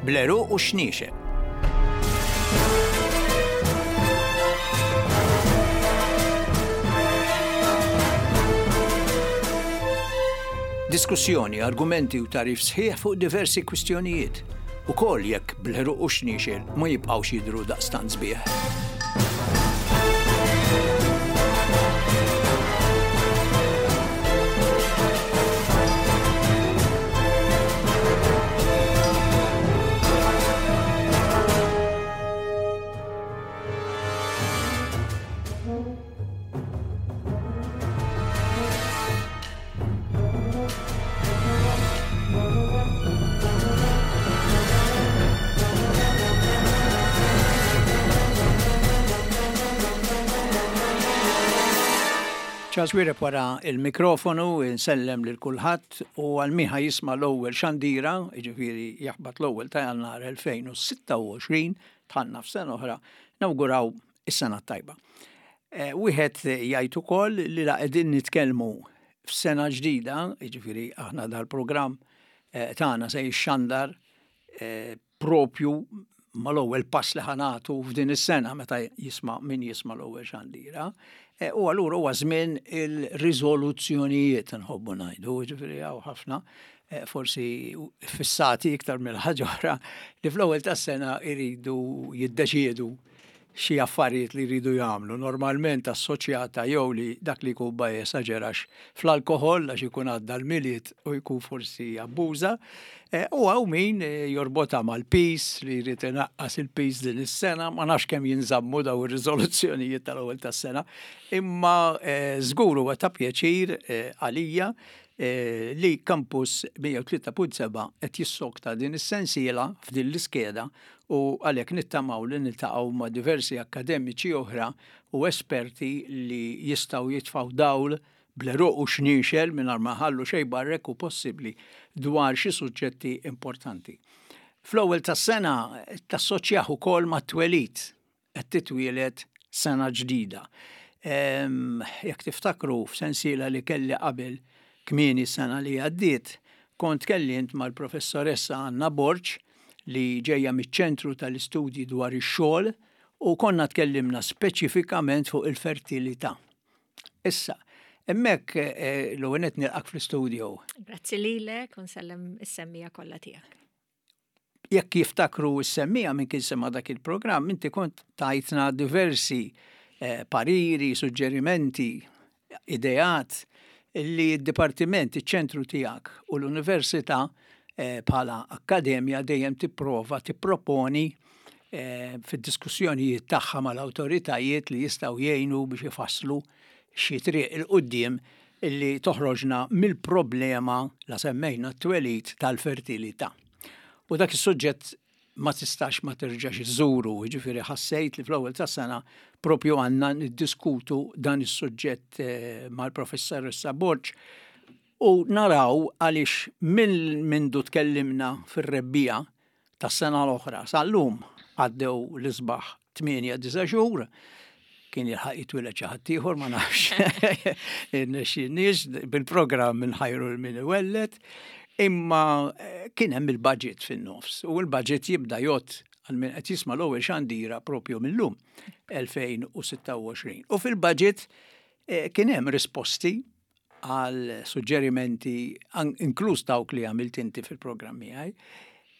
Bl-għeruq u x-xniexel. Diskussjoni, argumenti u tagħrif sħiħ fuq diversi kwistjonijiet, ukoll jekk bl-għeruq u x-xniexel ma jibqgħux jidhru daqstant sbieħ. Charles Wiereb wara il-mikrofonu, insellem lil kulħadd u għal min ħa jisma' l-ewwel xandira, jiġifieri jaħbat l-ewwel ta' Jannar 2026, dħalna f'sena oħra, nawguraw is-sena t-tajba. Eh, wieħed jgħid ukoll li la qegħdin nitkellmu f'sena ġdida, jiġifieri aħna dal-programm eh, tagħna se jixxandar eh, propju mal-ewwel pass li ħanatu f'din is-sena meta jisma' min jisma' l-ewwel xandira. U allura huwa żmien il-riżoluzzjonijiet nħobbu ngħidu, jiġifieri hawn ħafna forsi fissati iktar mill-ħaġa oħra li fl-ewwel tas-sena jridu jiddeċiedu xi affarijiet li jridu jagħmlu, normalment assoċjata jew li dak li jkun ma jesaġerax fl-alkoħol għax ikun għadda l-Milied u jkun forsi abbuża, eh, u hawn min eh, jorbotha mal-piż li jrid inaqqas il-piż din is-sena, ma nafx kemm jinżammu daw ir-riżoluzzjonijiet tal-ewwel tas-sena, imma eh, żgur huwa ta' pjaċir għalija li Campus 103.7 qed jissokta din is-sensiela f'din l-iskeda u għalhekk nittamaw li niltaqgħu ma' diversi akkademiċi oħra u esperti li jistgħu jitfgħu dawl bl-għeruq u xniexel mingħajr ma jħallu xejn barra jekk hu possibbli dwar xi suġġetti importanti. Fl-ewwel tas-sena tassoċjah ukoll mat-twelid qed titwieled sena ġdida. Jekk tiftakru f'sensiela li kelli qabel kmieni s-sena li għaddiet, kont tkellimt mal-Professoressa Anna Borg li ġejja miċ-Ċentru tal-Istudji dwar ix-Xogħol u konna tkellimna speċifikament fuq il-fertilità. Issa, hemmhekk eh, l-ewwel nett nilqak fl-istudio. Grazzi lilek u nsellem is-semmija kollha tiegħek. Jekk jiftakru s-semmiegħa min kien sema' dak il-programm, inti kont tajtna diversi eh, pariri, suġġerimenti, ideat li d-dipartiment, iċ-ċentru tiegħek u l-università eh, bħala akkademja dejjem tipprova tipproponi eh, fid-diskussjonijiet tagħha mal-awtoritajiet li jistgħu jgħinu biex ifasslu xi triq 'il quddiem illi toħroġna mill-problema la semmejna t-twelid tal-fertilità. U dak is-suġġett ma tistax ma terġax iżżuru, jiġifieri ħassejt li fl-ewwel tas-sena propju għandna niddiskutu dan is-suġġett eh, mal-professoressa Borg u naraw għaliex minn mindu tkellimna fir-rebbiegħa tas-sena l-oħra sal-lum għaddew l-isbaħ 8-9 xhur, kien jilħaq jitwieled xi ħadd ieħor ma nafx. Irnexxinniex bil-programm inħajru l min iwelled, imma eh, kien hemm il-budget fin-nofs u l-budget jibda jgħodd għal min qed jisma' l-ewwel xandira propju mill-lum 2026. U fil-budget eh, kien hemm risposti għal suġġerimenti inkluż dawk li għamilt inti fil-programm miegħi.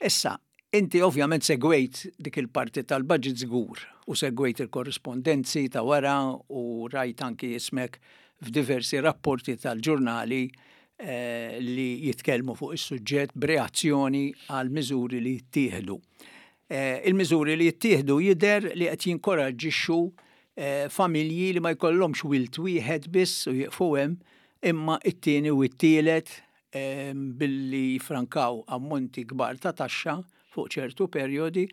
Issa, inti ovvjament segwejt dik il-parti tal-budget żgur u segwejt il-korrispondenzi ta' wara u rajt anki ismek f'diversi rapporti tal-ġurnali eh, li jitkellmu fuq is-suġġett b'reazzjoni għal miżuri li jittieħdu. Eh, il-miżuri li jittieħdu jidher li qed jinkoraġġixxu eh, familji li ma jkollhomx wild wieħed biss u jieqfu hemm, imma it-tieni u t-tielet eh, billi jifrankaw ammonti kbar ta' taxxa fuq ċertu perjodi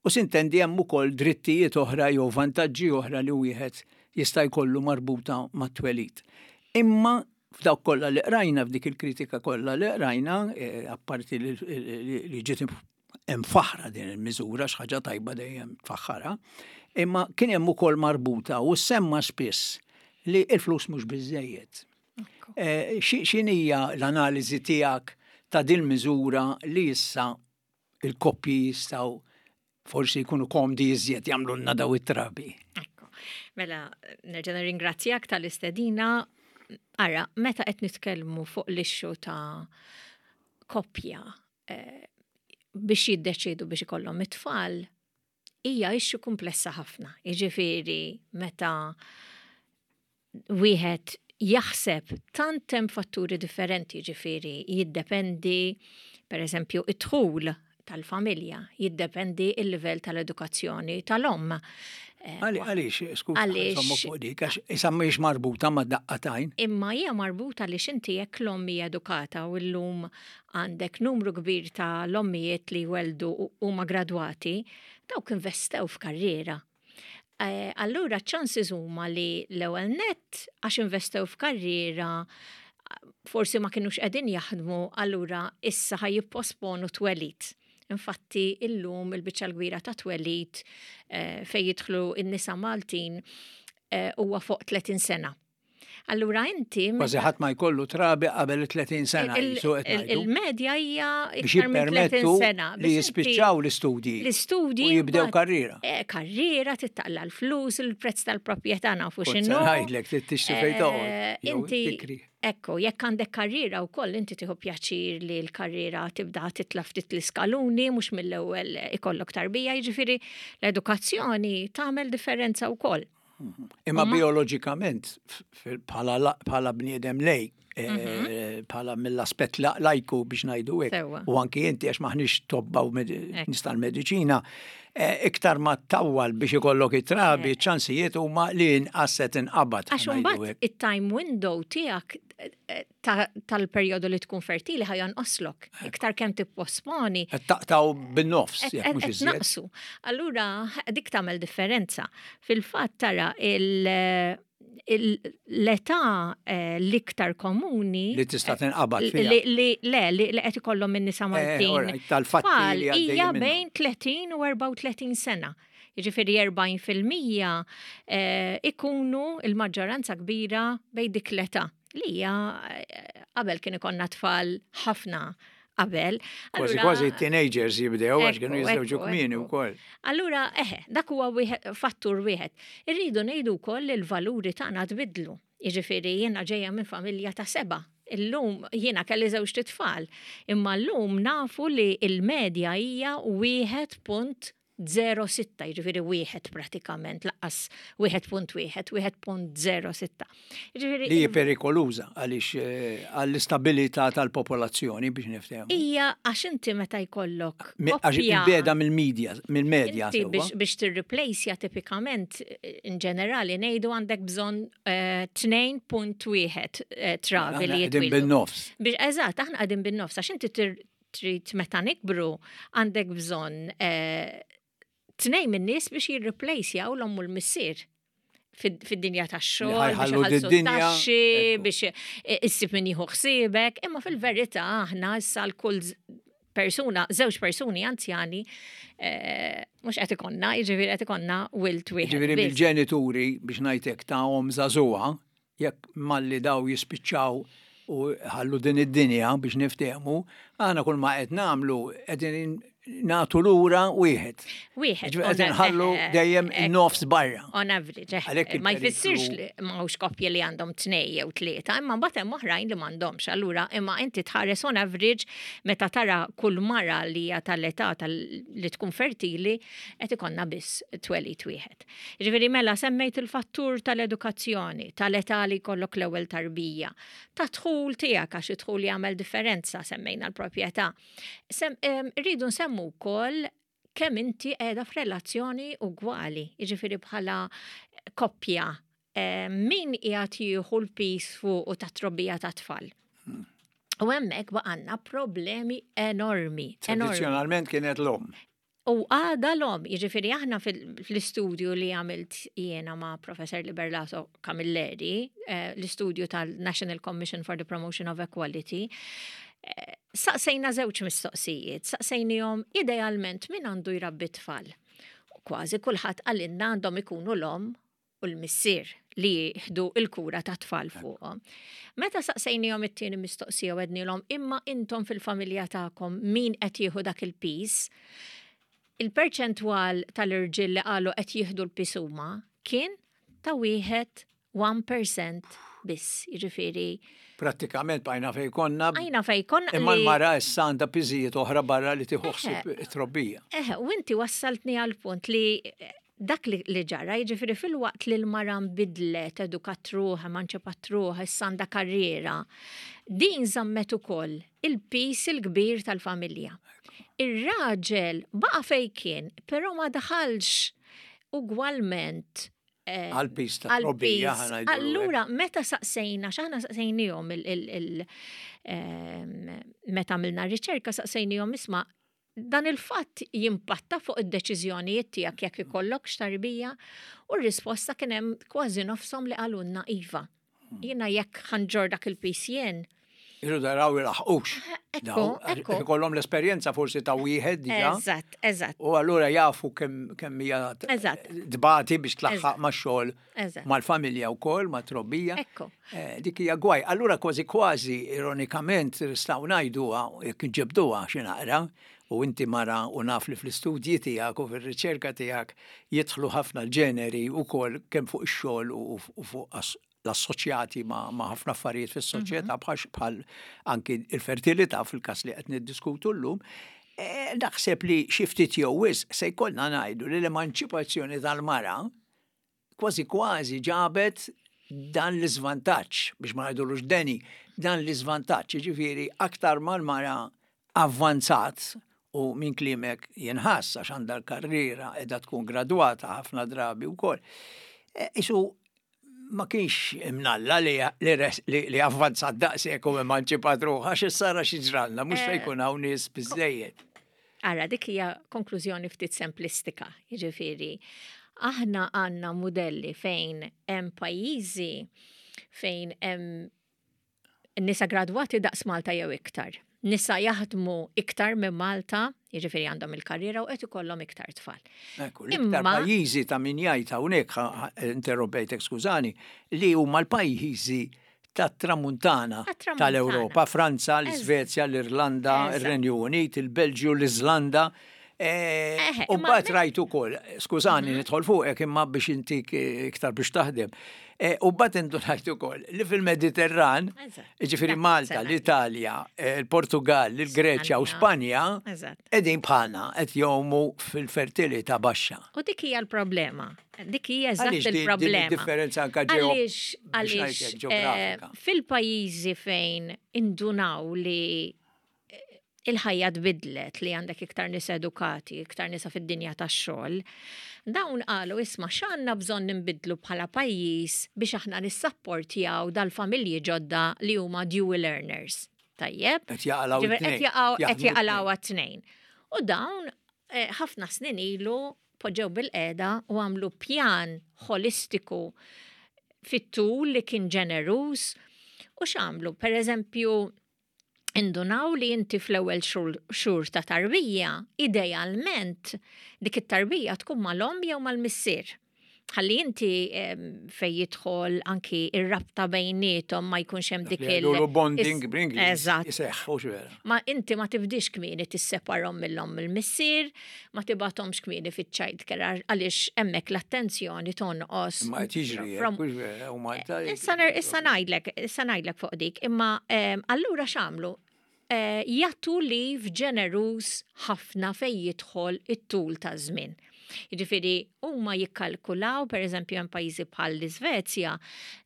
u sintendi hemm ukoll drittijiet oħra jew vantaġġi oħra li wieħed jista' jkollu marbuta mat-twelid. Imma f'dawk kollha li qrajna f'dik il-kritika kollha li qrajna, eh, apparti li ġiet imfaħħra din il-miżura x'ħaġa tajba dejjem tfaħħarha, imma kien hemm ukoll marbuta u semma spiss li l-flus mhux biżejjed. Eh, x'inhija l-analiżi tiegħek ta' din miżura li issa il-koppji jistgħu forsi jkunu komdi iżjed jagħmlulna daw it-trabi. Ekku. Mela, nerġa' nirringrazzjak tal-istedina. Ara, meta qed nitkellmu fuq l-issue ta' koppja biex jiddeċiedu biex ikollhom it-tfal, hija issue kumplessa ħafna. Jiġifieri meta wieħed jaħseb tant hemm fatturi differenti, jiġifieri jiddependi per eżempju id-dħul tal-familja, jiddependi il-livell tal-edukazzjoni tal-omm. Għaliex, skuża, Għaliex- insomma fuq dik, għax issa mhijiex marbuta ma' daqqa t'għajn. Imma hija marbuta li x'inti jekk l-omm hija edukata u llum għandek numru kbir ta' l-ommijiet li jweldu u huma gradwati, dawk investew f'karriera. Allura chances huma li l-ewwel nett għax investew f'karriera forsi ma kinux qegħdin jaħdmu, allura issa ħa jipposponu twelid. Infatti illum il-biċċa l-kbira ta' twelid fejn jidħlu n-nisa Maltin huwa fuq 30 sena. Allura inti Kważi ħadd ma jkollu trabi qabel 30 sena. Jisu qed ngħidu. Il-medja hija Biex iktar minn 30 jippermettu sena. li Biex inti jispiċċaw l-istudji. L-istudji U jibdew mbagħad karriera. Karriera, tittaqla l-flus, il-prezz tal-proprjetà nafu Kont se x'inhu. ngħidlek trid tixtri fejn toqgħod, jew Inti tikri. Ekku, jekk għandek karriera wkoll inti tieħu pjaċir li l-karriera tibda titla' ftit l-iskaluni, mhux mill-ewwel ikollok tarbija, jiġifieri l-edukazzjoni tagħmel differenza wkoll. Imma bioloġikament, bħala bniedem lej, bħala mill-aspett lajku biex ngħidu hekk, u anki inti għax maħniex tobba u nies tal-mediċina, iktar ma tawwal biex ikollok it-trabi, ċansijiet huma li inqas se tinqabad, Għax ħa ngħidu imbagħad hekk. it-time window tiegħek tal-perjodu li tkun fertili ħa jonqoslok. Iktar kemm tipposponi. Qed taqtaw bin-nofs, jekk mhux Qed iżjed. naqsu. Allura dik tagħmel differenza. Fil-fatt tara l-età l-iktar komuni li tista' tinqabad fiha. Li qed ikollhom in-nisa Maltin. All right, tal-fatti Tfal li għaddejjin hija minnhom. bejn 30 u 34 sena. Jiġifieri erbgħin fil-mija ikunu il-maġġoranza kbira bejn dik l-età. Li hija qabel kien ikollna tfal ħafna qabel. Kważi Allura kważi teenagers jibdew għax kienu jiżżewġu kmieni wkoll. Allura, dak huwa fattur wieħed. Irridu ngħidu wkoll li l-valuri tagħna tbidlu. Jiġifieri jiena ġejja minn familja ta' 7. Illum jiena kelli żewġ tfal, imma llum nafu li l-medja hija wieħed punt zero sitta, jiġifieri wieħed pratikament, laqqas wieħed punt wieħed, wieħed punt zero sitta. Jiġifieri Li hi perikoluża għaliex għall-istabilità tal-popolazzjoni biex niftehmu. Hija għax inti meta jkollok Għax koppja il-beda mill-medja, mill-medja Inti sewwa. biex tirreplaceja tipikament in ġenerali ngħidu għandek bżonn tnejn punt wieħed trabi Aħna li qegħdin jitwieldu. bin-nofs. Biex, eżatt, aħna qegħdin bin-nofs, għax inti trid meta nikbru għandek bżonn tnejn min-nies biex jirreplacejaw l-omm u l-missier fid-dinja tax-xogħol, Li biex ħajħallu iħallsu d-dinja, t-taxxi, ekku. biex issib min jieħu ħsiebek, imma fil-verità aħna issa l-kull persuna, żewġ persuni anzjani, mhux qed ikonna, jiġifieri qed ikonna wild wieħed Jiġifieri biss. mill-ġenituri biex ngħidlek ta' omm żagħżugħa, jekk malli daw jispiċċaw u ħallu din id-dinja biex niftehmu, aħna kull ma qed nagħmlu qegħdin nagħtu lura wieħed. Wieħed, Jiġifieri qed inħallu dejjem in-nofs barra. On average, Għalhekk ma il-periklu jfissirx li m'hawnx koppji li għandhom 2 jew 3, imma mbagħad hemm oħrajn li m'għandhomx. Allura, imma inti tħares on average meta tara kull mara li hija tal-età li tkun fertili qed ikollna biss twelid wieħed. Jiġifieri mela semmejt il-fattur tal-edukazzjoni, tal-età li jkollok l-ewwel tarbija, ta' dħul tiegħek għax id-dħul jagħmel differenza, semmejna l-proprjetà. Rridu nsemmu wkoll kemm inti qiegħda f'relazzjoni ugwali, jiġifieri bħala koppja, min qiegħed jieħu l-pis fuq u tat-trobbija ta' tfal. U hemmhekk baqgħanna problemi enormi, enormi. Tradizzjonalment kienet l-omm. U għada l-omm, jiġifieri aħna fl-istudju li għamilt jiena ma' Professor Liberlato Camilleri, l-istudju tal-National Commission for the Promotion of Equality, saqsejna żewġ mistoqsijiet, saqsejnihom idealment min għandu jrabbi tfal. Kważi kulħadd qalilna għandhom ikunu l-omm u u l-missier li jieħdu il-kura ta' tfal fuqhom. Meta saqsejnihom it-tieni mistoqsija u għednilhom imma intom fil-familja tagħkom min qed jieħu dak il-piż, il-perċentwal tal-irġiel li qalu qed jieħdu l-piż huma kien ta' wieħed 1% biss, jiġifieri. Prattikament bqajna fejn konna. Bqajna fejn konna. Imma l-mara issa għandha piżijiet oħra barra li tieħu ħsieb it-trobbija. Eħe, u inti wassaltni għal punt li dak li ġara, jiġifieri filwaqt li l-mara nbidlet, edukat ruħha, emanċipat ruħha, issa għandha karriera, din żammet ukoll il-piż il-kbir tal-familja. Ir-raġel baqa' fejn kien, però ma daħalx ugwalment eh, għal-piż ta' trobbija. Allura, meta saqsejna, x'aħna saqsejnihom il ehm, meta għamilna riċerka saqsejnihom isma' dan il-fatt jimpatta fuq id-deċiżjonijiet tiegħek jekk ikollok x'tarbija u r-risposta kien hemm kważi nofshom li qalulna iva. Jiena jekk ħa nġorr dak il-piż jien. Irridu daraw ilaħqux. Ekku, ekku. Ikollhom l-esperjenza forsi ta' wieħed diġà. Eżatt, eżatt. U allura jafu kemm hija tbati biex tlaħħaq max-xogħol, mal-familja wkoll, mat-trobbija. Ekku. Eh, dik hija gwaj. Allura kważi kważi ironikament nistgħu ngħiduha jekk inġebduha xi naqra, u inti mara u naf li fl-istudji tiegħek u fir-riċerka tiegħek jidħlu ħafna l-ġeneri wkoll kemm fuq ix-xogħol u fuq l-assoċjati ma' ħafna affarijiet fis-soċjetà mhm. bħal anki il-fertilità fil-każ li qed niddiskutu llum. Eh, naħseb li xi ftit jew wisq se jkollna ngħidu li l-emanċipazzjoni tal-mara kważi kważi ġabet dan l-iżvantaġġ, biex ma ngħidulux deni, dan l-iżvantaġġ, jiġifieri aktar mal-mara avvanzat u minn kliemek jinħass għax għandha l-karriera qiegħda tkun gradwata ħafna drabi wkoll. E, isu ma kienx imnalla li, li, li avvanzat daqshekk u emanċipat ruħha għax issa ra xi ġralna, mhux se eh. jkun hawn nies biżejjed. Ara, dik hija konklużjoni ftit semplistika, jiġifieri aħna għandna mudelli fejn hemm pajjiżi fejn hemm nisa gradwati daqs Malta jew iktar. Nisa jaħdmu iktar minn Malta, jiġifieri għandhom il-karriera u qed ikollhom iktar tfal. Ekku, l-iktar pajjiżi ta' min jgħid hawnhekk interrompejtek skużani, li huma l-pajjiżi tat-Tramuntana tal-Ewropa, Franza, l-Iżvezja, l-Irlanda, ir-Renju Unit, il-Belġju, l-Iżlanda. Eh, u mbagħad rajt ukoll, skużani mhm. nidħol fuqek imma biex intik eh, iktar biex taħdem. Eh, u mbagħad indunajt ukoll li fil-Mediterran, ġifieri Malta, l-Italja, il-Portugal, il-Greċja u Spanja, qegħdin bħalna qed jgħumu fil-fertilità baxxa. U dik hija l-problema. Dik hija eżatt il-problema. Differenza anka Għaliex għaliex fil-pajjiżi fejn indunaw li il-ħajja tbiddlet li għandek iktar nies edukati, iktar nisa fid-dinja tax-xogħol. Dawn qalu isma' x'għandna bżonn ninbidlu bħala pajjiż biex aħna nissapportjaw dal-familji ġodda li huma dual earners. Tajjeb? Qed jaqalgħu Qed jaqgħu qed jaqalgħu għat-tnejn. U dawn eh, ħafna snin ilu poġġew bil-qeda u għamlu pjan ħolistiku fit-tul li kien ġeneruż u x'għamlu? Per eżempju, indunaw li inti fl-ewwel xhur ta' tarbija, idealment dik it-tarbija tkun mal-omm jew mal-missier. Ħalli inti fej jidħol anki ir-rabta bejniethom ma jkunx hemm dik il- bonding b'Ingliż. Eżatt. Iseħħ, vera. Ma inti ma tibdix kmieni tisseparhom mill-omm mill-missier, ma tibgħathomx kmieni fiċ-child care għaliex hemmhekk l-attenzjoni tonqos. Ma qed jiġri, u Malta. Issa ngħidlek, issa ngħidlek fuq dik, imma allura x'għamlu? Eh, jagħtu leave ġeneruż ħafna fejn jidħol it-tul ta' żmien. Jiġifieri huma jikkalkulaw, pereżempju hemm pajjiżi bħal l-Iżvezja,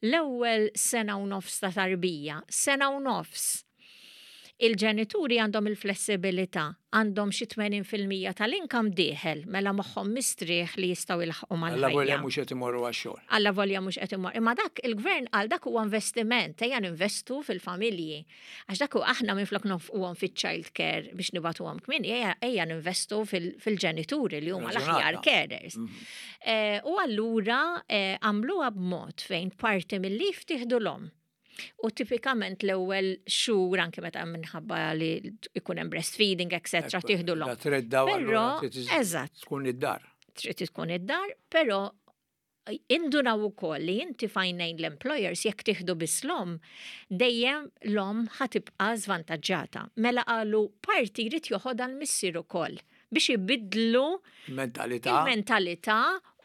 l-ewwel sena u nofs ta' tarbija, sena u nofs. Il-ġenituri għandhom il-flessibilità, għandhom xi 80% tal-income dieħel, mela moħħhom mistrieħ li jistgħu jlaħħqu mal-ħajja. Allavolja mhux qed imorru għax-xogħol. Allavolja mhux qed imorru. Imma dak il-gvern qal dak huwa investiment, ejja ninvestu fil-familji. Għax dak aħna minflok nonfquhom fiċ-child care biex nibagħtuhom kmieni, ejja ninvestu fil-ġenituri li huma l-aħjar carers. Mhm. Eh, u allura eh, għamluha b'mod fejn parti mill-lif tieħdu l-om. U tipikament l-ewwel xhur anke meta minħabba li ikun hemm breastfeeding, etc. tieħdu l-om. Però, eżatt. Tkun id-dar. Trid tkun id-dar, però Indunaw ukoll li inti f'għajnejn l-employers jekk tieħdu biss l-omm, dejjem l-omm ħa tibqa' żvantaġġata. Mela qalu parti jrid joħodha l-missier ukoll biex ibiddlu Il-mentalità. il-mentalità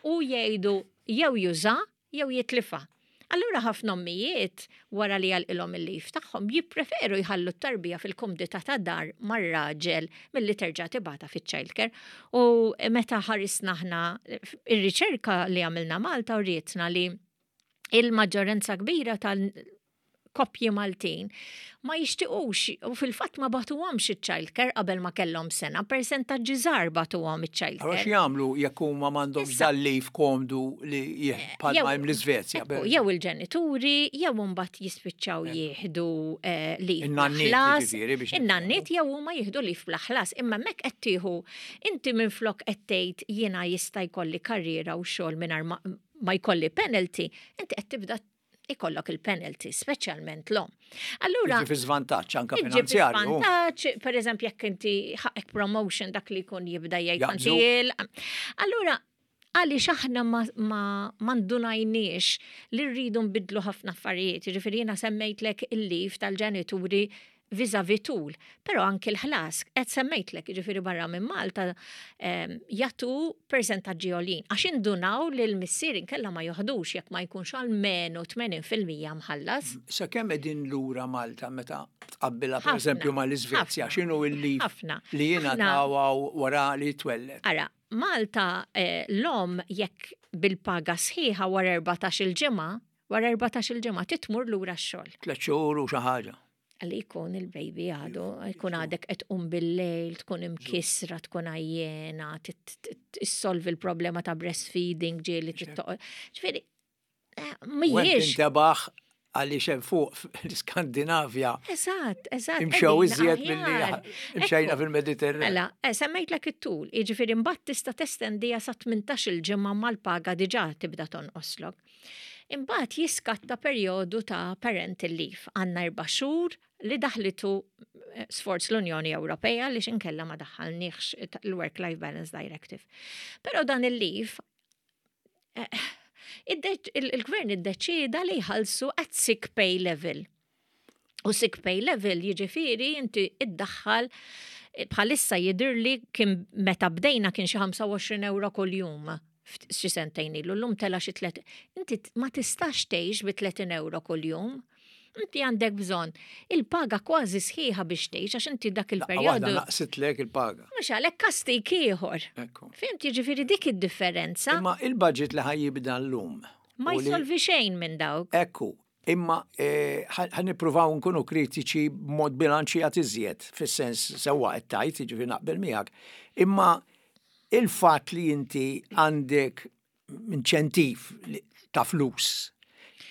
u jgħidu jew juża jew jitlifha. Allura ħafna ommijiet wara li jagħlqilhom il-leave tagħhom jippreferu jħallu t-tarbija fil-kumdità ta' dar mar-raġel milli terġa' tibgħatha fiċ-childcare. U meta ħarisna aħna ir-riċerka li għamilna Malta urietna li il-maġġoranza kbira tal koppji Maltin ma jixtiqux u fil-fatt ma bagħtuhomx iċ-childcare qabel ma kellhom sena, persentaġġi żgħar bagħtuhom iċ-childcare. Allura x'jagħmlu jekk huma m'għandhomx dal-leave komdu li bħalma hemm l-Iżvezja? Jew il-ġenituri, jew imbagħad jispiċċaw jieħdu eh, leave bla ħlas. In-nanniet jew huma jieħdu leave bla ħlas, imma hemmhekk qed tieħu inti minflok qed tgħid jiena jista' jkolli karriera u xogħol mingħajr ma jkolli penalty, inti qed tibda ikollok il-penalty, speċjalment l-om. Allura. Fi żvantaġġ anke finanzjarju. Żvantaġġ, per eżempju, jekk inti ħaqek promotion dak li jkun jibda jgħid Allura, għaliex aħna ma, ma, ma ndunajniex li rridu nbidlu ħafna affarijiet. Ġifieri jiena semmejtlek il-lif tal-ġenituri vis-a-vis tul, però anki l-ħlas, qed semmejtlek, jiġifieri barra minn Malta ehm, jagħtu persentaġġi għoljin, għax indunaw li l-missier inkella ma joħdux jekk ma jkunx almenu 80% mħallas. Sa kemm qegħdin lura Malta meta tqabbilha pereżempju mal-Iżvezja, x'inhu l-lif li jingħataw wara li twelled? Ara, Malta eh, l-om jekk bil-paga sħiħa wara 14 il-ġimgħa, wara 14 il-ġimgħa titmur lura x-xogħol. Tliet xhur u xi ħaġa. Li jkun il-baby għadu, jkun għadek qed tqum bil-lejl, tkun imkissra, tkun għajjena, tissolvi l-problema ta' breastfeeding ġieli tittoqgħod. Ġifieri, eh, mhijiex. Intebaħ għaliex hemm fuq l-Iskandinavja. Eżatt, eżatt. Imxew iżjed milli imxejna fil-Mediterran. Mela, eh, semmejtlek it-tul, jiġifieri mbagħad tista' testendija sa 18-il ġimgħa mal-paga diġà tibda tonqoslok. Imbagħad jiskatta perjodu ta' parental leave. Għandna erba' xhur li daħlitu eh, sforz l-Unjoni Ewropea li xinkella ma daħħalniex l-Work-Life Balance Directive. Però dan il-leave eh, il-gvern iddeċieda li jħallsu at sick pay level. U sick pay level jiġifieri inti iddaħħal eh, bħalissa jidirli kien meta bdejna kien xi 25 euro kuljum xi sentejn ilu, llum tela xi tlet. Inti ma tistax tgħix bi 30 euro kuljum. Inti għandek bżonn il-paga kważi sħiħa biex tgħix għax inti dak il-perjodu. Naqsitlek il-paga. Mhux għalhekk kastik ieħor. Fimt jiġifieri dik id-differenza. Imma il-budget li ħajjibda llum. Ma jsolvi xejn minn dawk. Ekku, imma eh, ħa nippruvaw nkunu kritiċi b'mod bilanċjat iżjed, fis-sens sewwa qed tgħid, jiġifieri naqbel miegħek. Imma il-fatt li inti għandek inċentiv ta' flus,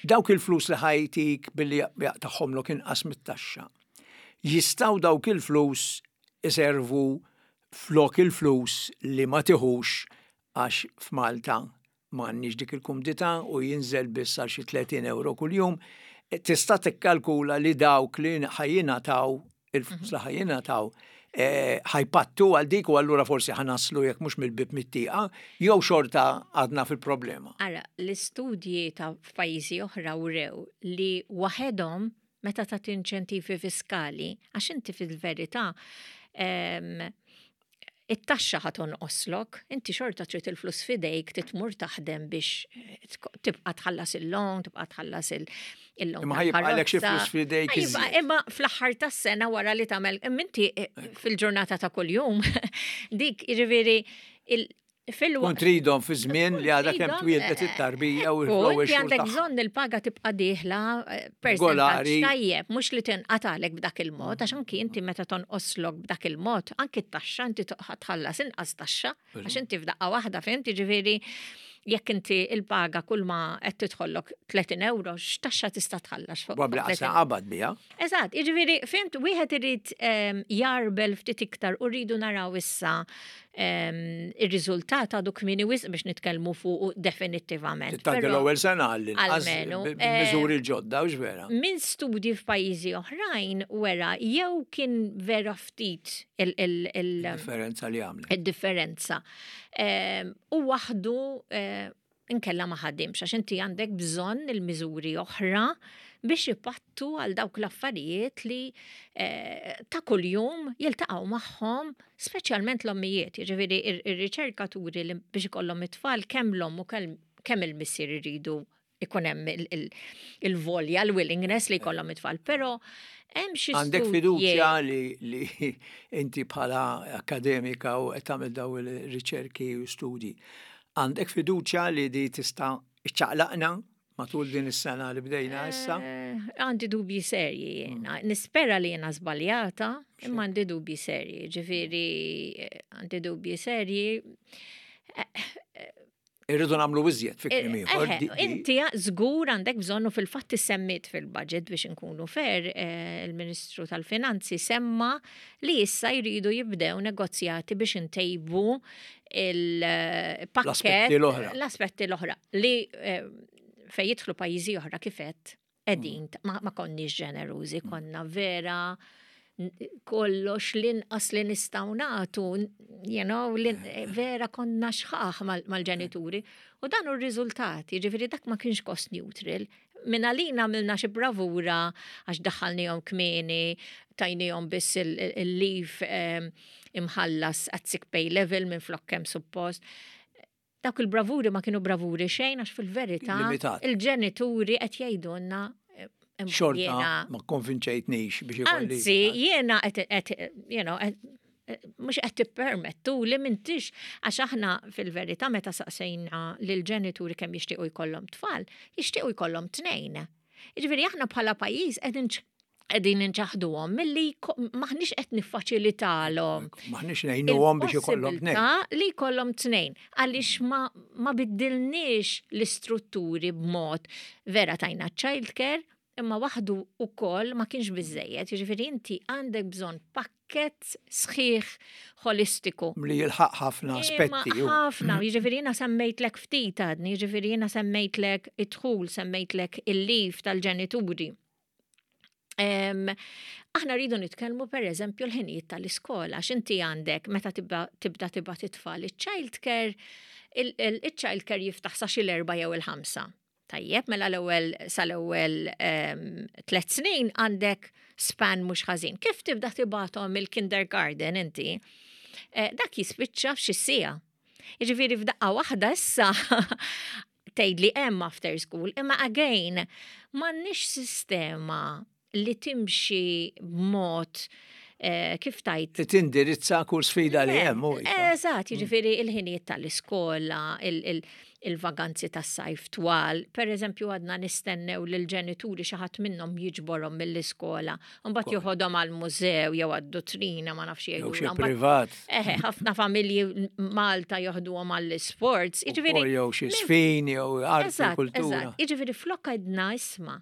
dawk il-flus li ħajtik billi jaqtagħhomlok inqas mit-taxxa, jistgħu dawk il-flus iservu flok il-flus li ma tiħux għax f'Malta m'għandniex dik il-kumdità u jinżel biss għal xi 30 euro kuljum, tista' tikkalkula li dawk li ħa jingħataw, il-flus li ħa jingħataw, eh, ħa jpattu għal dik u allura forsi ħa naslu jekk mhux mill-bib mit-tieqa, jew xorta għadna fil-problema. Ara, l-istudji ta' f'pajjiżi oħra wrew li waħedhom meta tagħti inċentivi fiskali, għax inti fil-verità ehm, it-taxxa ħa tonqoslok, inti xorta trid il-flus f'idejk titmur taħdem biex eh, tibqa' tħallas il-loan, tibqa' tħallas il-loan. Imma ħajibqalek xi flus f'idejk. Imma fl-aħħar tas-sena wara li tagħmel, inti eh, fil-ġurnata ta' kuljum, dik jiġifieri Kun tridhom fi żmien li għadha kemm twieldet eh, it-tarbija u l-ewwel xhur. Għandek bżonn il-paga tibqa' dieħla eh, percentaġġ tajjeb, mhux li tinqatalek b'dak il-mod, għax anki inti meta tonqoslok b'dak il-mod, anki t-taxxa inti tħallas inqas taxxa, għax inti f'daqqa waħda fhimt, jiġifieri jekk inti il-paga kull ma qed tidħollok 30 euro, x'taxxa tista' tħallas fuq? Probabbli qas qabad biha. Eżatt, jiġifieri fimt wieħed irid ehm, jarbel ftit iktar u rridu naraw issa ehm, ir-riżultat għadu kmieni wisq biex nitkellmu fuq definittivament. Tagħti l-ewwel sena għall-almenu miżuri eh, ġodda u vera. Minn studji f'pajjiżi oħrajn wera jew kien vera ftit il-differenza li għamlet. Il-differenza. Ehm, u waħdu eh, Inkella ma ħadimx għax inti għandek bżonn il-miżuri oħra biex ipattu għal dawk l-affarijiet li eh, ta' kuljum jiltaqgħu magħhom speċjalment l-ommijiet. Jiġifieri ir-riċerkaturi li biex ikollhom it-tfal kemm l-omm u kemm il-missier iridu ikun hemm il-volja, l-willingness li jkollhom it-tfal, però hemm xi Għandek fiduċja li, li inti bħala akademika u qed tagħmel daw il-riċerki u studji. Għandek fiduċja li di tista' iċċaqlaqna matul din is-sena li bdejna issa? Eh, għandi dubji serji jiena. Mm. Nispera li jiena żbaljata, imma għandi dubji serji. Ġifieri eh, għandi dubji serji. Eh, Irridu nagħmlu iżjed fi kliem ieħor. Inti żgur għandek bżonn u fil-fatt issemmit fil-budget biex inkunu fair, eh, il-Ministru tal-Finanzi semma li issa jridu jibdew negozjati biex intejbu il-pakket l-aspetti l-oħra li eh, fej jidħlu pajjiżi oħra kifet qegħdin mm. ma konniex ġenerużi, mm. konna vera kollox l-inqas li nistgħu nagħtu, you know, eh, vera konna xħaħ mal-ġenituri. U dan hu r-riżultat, jiġifieri dak ma kienx cost neutral. Minn għalina għamilna xi bravura għax daħħalnihom kmieni, tajnihom biss il-leave ehm, imħallas at sick pay level minn flok kemm suppost. Dawk il-bravuri ma kienu bravuri xejn għax fil-verità il-ġenituri qed jgħidulna eh, Xorta ma konvinċejtnix biex ikolli. Anzi, jiena qed you know, mhux qed tippermettu li m'intix għax aħna fil-verità meta saqsejna lil ġenituri kemm jixtiequ jkollhom tfal, jixtiequ jkollhom tnejn. Jiġifieri aħna bħala pajjiż qegħdin qegħdin inċaħduhom milli maħniex qed niffaċilitalhom. Maħniex ngħinuhom biex ikollhom tnejn. Li jkollhom tnejn għaliex ma, ma biddilniex l-istrutturi b'mod vera tajna child care imma waħdu ukoll ma kienx biżejjed, jiġifieri inti għandek bżonn pakkett sħiħ holistiku. Li jilħaq ħafna aspetti. Ħafna, jiġifieri jiena semmejtlek ftit għadni, jiġifieri jiena semmejtlek id-dħul, semmejtlek il-lif tal-ġenituri. Aħna rridu nitkellmu per eżempju l-ħinijiet tal-iskola, x'inti għandek meta tibda tibgħat it-tfal iċ-child care, il-child care jiftaħ sa xi l-erba' jew il-ħamsa. Tajjeb, mela l-ewwel sal-ewwel tliet snin għandek span mhux ħażin. Kif tibda tibgħathom il-kindergarten inti, eh, dak jispiċċa f'xi siegħa. Jiġifieri f'daqqa waħda issa tgħid li hemm after school, imma again m'għandniex sistema li timxi b'mod eh, kif tajt. Li tindirizza kull sfida li hemm. Eżatt, mm. jiġifieri il-ħinijiet tal-iskola, il-vaganzi tas-sajf twal. Per eżempju, għadna nistennew li l-ġenituri xi ħadd minnhom jiġborhom mill-iskola, mbagħad joħodhom għall-mużew jew għad-dutrina ma nafx jgħidu. Jew xi privat. Eħe, ħafna familji Malta joħduhom għall-isports. Jiġifieri jew xi sfin jew arti kultura. Jiġifieri flok għedna isma'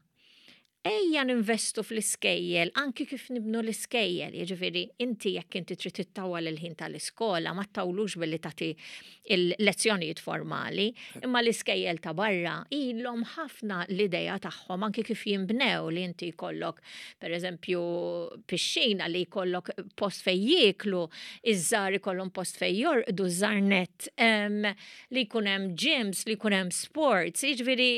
ejja ninvestu fl-iskejjel, anki kif nibnu l-iskejjel, jiġifieri inti jekk inti trid ittawwal il-ħin tal-iskola, ma ttawlux billi tagħti il-lezzjonijiet formali, imma l-iskejjel ta' barra ilhom ħafna l-idea tagħhom anki kif jinbnew li inti jkollok Per eżempju, pixxina li jkollok post fej jieklu, iż-żar ikollhom post fej jorqdu, żar net, li jkun hemm gyms, li jkun hemm sports, jiġifieri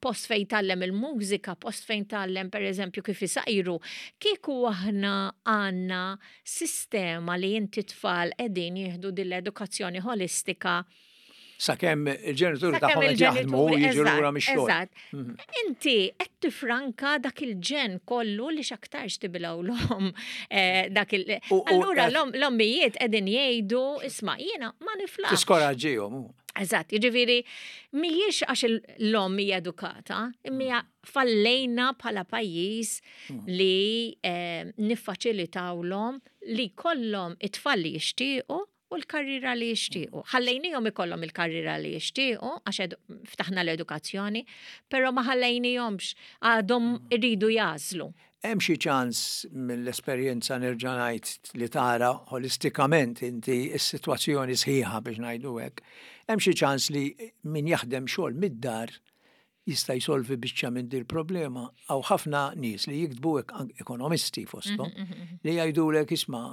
post fejn tgħallem il-mużika, post fejn tgħallem pereżempju kif isajru. Kieku aħna għandna sistema li inti tfal qegħdin jieħdu din l-edukazzjoni ħolistika Sakemm il-ġenituri tagħhom qed jaħdmu u jiġu lura mix-xogħol. Eżatt. Mhm. Inti qed tifranka dak il-ġen kollu li x'aktarx tibilgħulhom eh, dak il. Allura l-ommijiet qegħdin jgħidu isma' jiena ma niflaħx. Tiskoraġġihom. Eżatt, jiġifieri mhijiex għax l-omm hija edukata, imma fallejna bħala pajjiż mm. li eh, niffaċilitawlhom li kollhom it-tfal li jixtiequ u l-karriera li jixtiequ. Ħallejnihom ikollhom il-karriera li jixtiequ għax ftaħna l-edukazzjoni, però ma ħallejnihomx għadhom iridu jagħżlu. Hemm xi ċans mill-esperjenza nerġa' ngħid li tara ħolistikament inti s-sitwazzjoni sħiħa biex ngħidu hekk, hemm xi ċans li min jaħdem xogħol mid-dar jista' jsolvi biċċa minn dil-problema. Hawn ħafna nies li jiktbu ekonomisti fosthom mhm, mhm, mhm. li jgħidulek isma'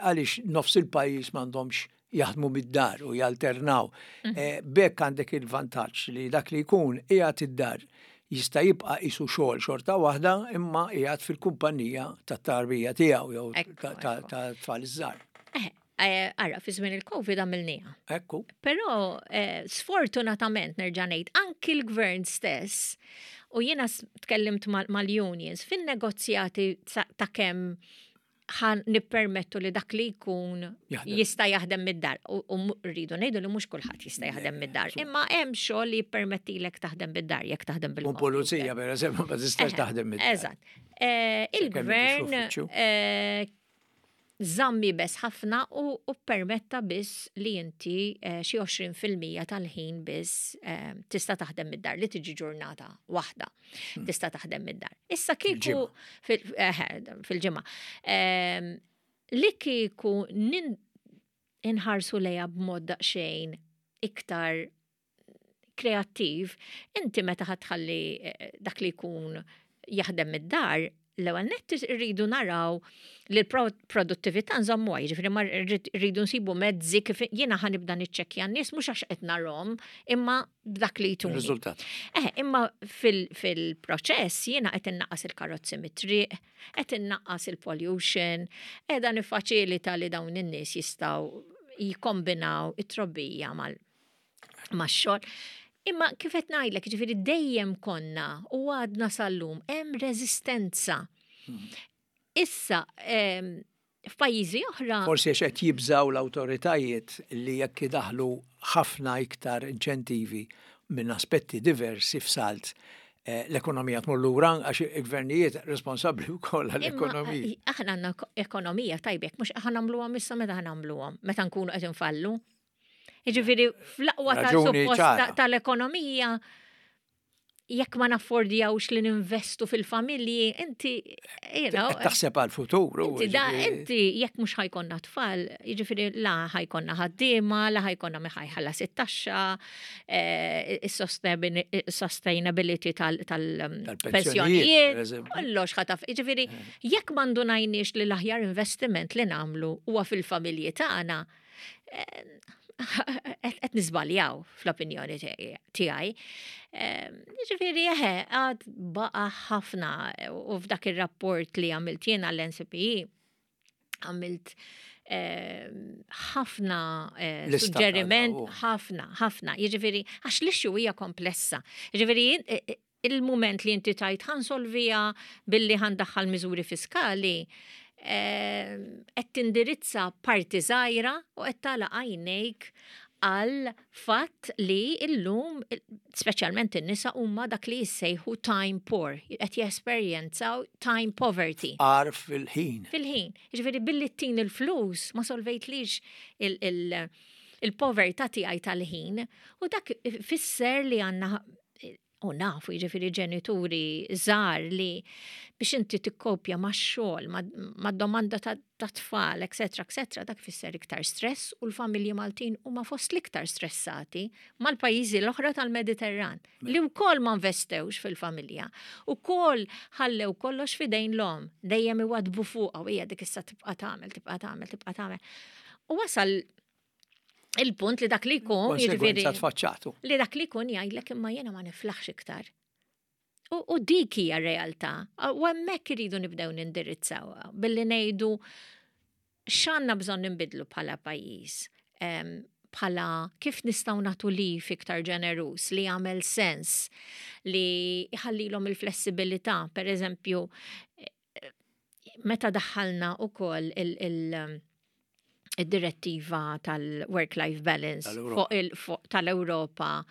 għaliex nofs il-pajjiż m'għandhomx jaħdmu mid-dar u jalternaw. B'hekk għandek il-vantaġġ li dak li jkun qiegħed id-dar jista' jibqa' qisu xogħol xorta waħda imma qiegħed fil-kumpanija tat-tarbija tiegħu jew tat-tfal iż-żgħar. Ara, fi żmien il-Covid għamilniha. Ekku. Però sfortunatament nerġa' ngħid anki l-gvern stess u jiena tkellimt mal-unions fin-negozjati ta' kemm ħan nippermettu li dak li jkun jista' jaħdem mid-dar. U rridu ngħidu li mhux kulħadd jista' jaħdem mid-dar. Imma hemm xogħol li jippermettilek taħdem mid-dar jekk taħdem bil U pulizija pereżempju ma tistax taħdem mid-dar. Eżatt. Il-gvern żamm iebes ħafna u ppermetta biss li inti eh, xi 20% tal-ħin biss eh, tista' taħdem mid-dar li tiġi ġurnata waħda tista' taħdem mid-dar. Issa kieku eh, fil-ġimgħa ehm, li kieku inħarsu lejha b'mod daqsxejn iktar kreattiv, inti meta ħatħalli eh, dak li jkun jaħdem mid-dar, l-ewwel nett irridu naraw li l-produttività nżommuha, jiġifieri ma rridu nsibu mezzi kif jiena ħa nibda niċċekkja n-nies mhux għax qed narhom, imma b'dak li jtuni. Riżultat. Eh, imma fil-proċess jiena qed innaqqas il-karozzi mit-triq, qed innaqqas il-pollution, qiegħda niffaċilita li dawn in-nies jistgħu jikkombinaw it-trobbija mal max-xogħol. Imma kif qed ngħidlek, ġifieri dejjem konna u għadna sal-lum hemm reżistenza. Issa, f'pajjiżi oħra. Forsi għax qed jibżgħu l-awtoritajiet li jekk idaħħlu ħafna iktar inċentivi minn aspetti diversi f'salt, l-ekonomija tmur lura għax il-gvernijiet responsabbli wkoll għall-ekonomija. Aħna għandna ekonomija tajba jekk mhux aħna nagħmluhom issa meta nagħmluhom, meta nkunu qed infallu. Jiġifieri fl-aqwa tal-suppost tal-ekonomija jekk ma naffordjawx li ninvestu fil-familji, inti, you know. Taħseb għal-futur. Inti, da, inti jekk mhux ħajkonna tfal, jiġifieri la ħajkonna ħaddiema, la ħajkonna mi ħajħallas it-taxxa, eh, is-sustainability tal-pensjonijiet, kollox ħataf. Jiġifieri eh. jekk ma ndunajniex li l-aħjar investiment li nagħmlu huwa fil-familji tagħna, qed niżbaljaw fl-opinjoni tiegħi. Ġifieri eħe, għad baqa' ħafna u f'dak ir-rapport li għamilt jiena l-NCPE għamilt ħafna eh, suġġeriment, ħafna, ħafna. Jiġifieri, għax l-issue hija komplessa. Jiġifieri, eh, eh, il-mument li inti tajt ħansolvija billi ħandaħħal miżuri fiskali, ehm, qed tindirizza parti żgħira u qed tagħlaq għajnejk għal fatt li illum, speċjalment in-nisa huma dak li jissejħu time poor, qed jesperjenzaw time poverty. Għar fil-ħin. Fil-ħin. Jiġifieri billi ttin il-flus ma solvejtlix il-povertà tiegħi tal-ħin u dak fisser li għandna u nafu jiġifieri ġenituri żgħar li biex inti tikkopja max-xogħol, mad-domanda ta' tfal, etcetera, etcetera, dak fisser iktar stress u l-familji Maltin huma fost l-iktar stressati mal-pajjiżi l-oħra tal-Mediterran li wkoll ma investewx fil-familja, ukoll ħallew kollox f'idejn l-omm, dejjem iwaddbu fuqha u hija dik issa tibqa' tagħmel, tibqa' tagħmel, tibqa' tagħmel. U wasal il-punt li dak li jkun. Jiġifieri tfaċċatu. Li dak li jkun jgħidlek imma jiena ma niflaħx iktar. U dik hija realtà. U hemmhekk iridu nibdew nindirizzaw billi ngħidu x'għandna bżonn nbidlu bħala pajjiż. Bħala kif nistgħu nagħtu lif iktar ġenerus li jagħmel sens li jħallilhom il-flessibilità, per eżempju, meta daħħalna ukoll il- id-direttiva tal-work-life balance fuq tal-Ewropa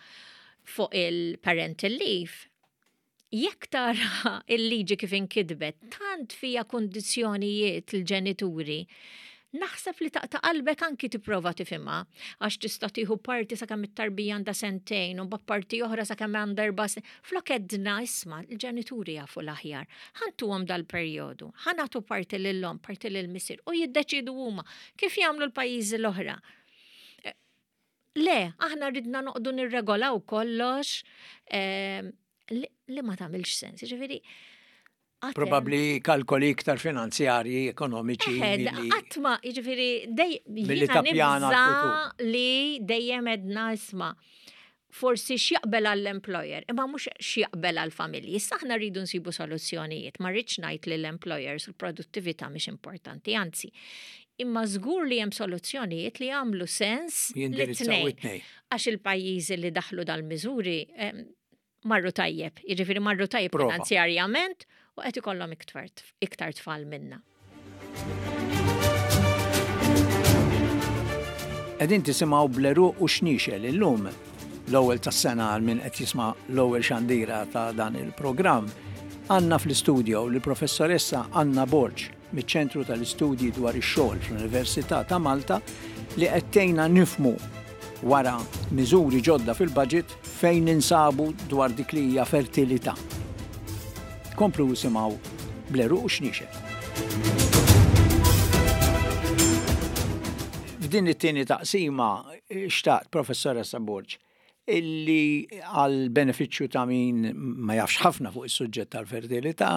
fuq il-parental leave, jekk tara il-liġi kif inkitbet, tant fija kondizzjonijiet l-ġenituri, naħseb li taqta' qalbek anki tipprova tifhimha, għax tista' tieħu parti sakemm it-tarbija għandha sentejn u mbagħad parti oħra sakemm għandha erba' snin. Flok għedna isma' l-ġenituri jafu l-aħjar. Ħa ntuhom dal-perjodu, ħa nagħtu parti lill-omm, parti lill-missier u jiddeċiedu huma kif jagħmlu l-pajjiżi l-oħra. Eh, le, aħna ridna noqdu nirregolaw kollox eh, li ma tagħmilx sens. Ġifieri, Probabbli kalkoli iktar finanzjarji, ekonomiċi. Qatt ma, jiġifieri dejjem li dejjem edna isma' forsi x'jaqbel għall-employer, imma mhux x'jaqbel għall-familji. Issa aħna rridu nsibu soluzzjonijiet, ma rridx ngħid li l-employers u l-produttività mhix importanti, anzi. Imma żgur li hemm soluzzjonijiet li jagħmlu sens li Għax il-pajjiżi li daħlu dal-miżuri marru tajjeb, jiġifieri marru tajjeb finanzjarjament u qed ikollhom iktar tfal minna. Qegħdin tisimgħu Bleru u Xniexel illum l-ewwel tas-sena għal min qed jisma' l-ewwel xandira ta' dan il-programm. Għandna fl-istudio lill-Professoressa Anna Borg miċ-Ċentru tal-Istudji dwar ix-Xogħol fl-Università ta' Malta li qed tgħinna nifhmu wara miżuri ġodda fil-budget fejn ninsabu dwar dik li hija fertilità. Komplu isimgħu bl-għeruq u xniexel. F'din it-tieni taqsima xtaqt, Professoressa Borg, illi għal benefiċċju ta' min ma jafx ħafna fuq is-suġġett tal-fertilità,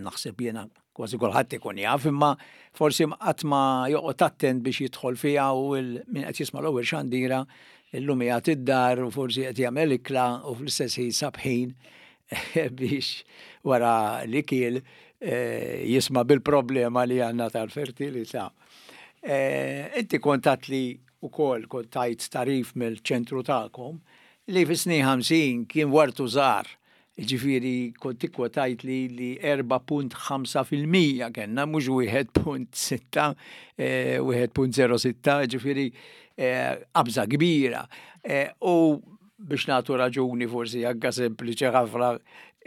naħseb jiena kważi kulħadd ikun jaf, imma forsi qatt ma joqgħod attent biex jidħol fiha u min qed jisma' l-ewwel xandira illum qiegħed id-dar u forsi qed jagħmel ikla u fl-istess ħin sab ħin biex wara li kiel eh, jisma' bil-problema li għandna tal-fertilità. Eh, inti kont li ukoll kont tajt tarif mill-ċentru tagħkom li fis-snin 50 kien wartu żgħar Jiġifieri kont ikkwotajtli li 4.5% kellna mhux 1.6, 1.06, jiġifieri qabża kbira. U biex nagħtu raġuni forsi anke sempliċi ħafna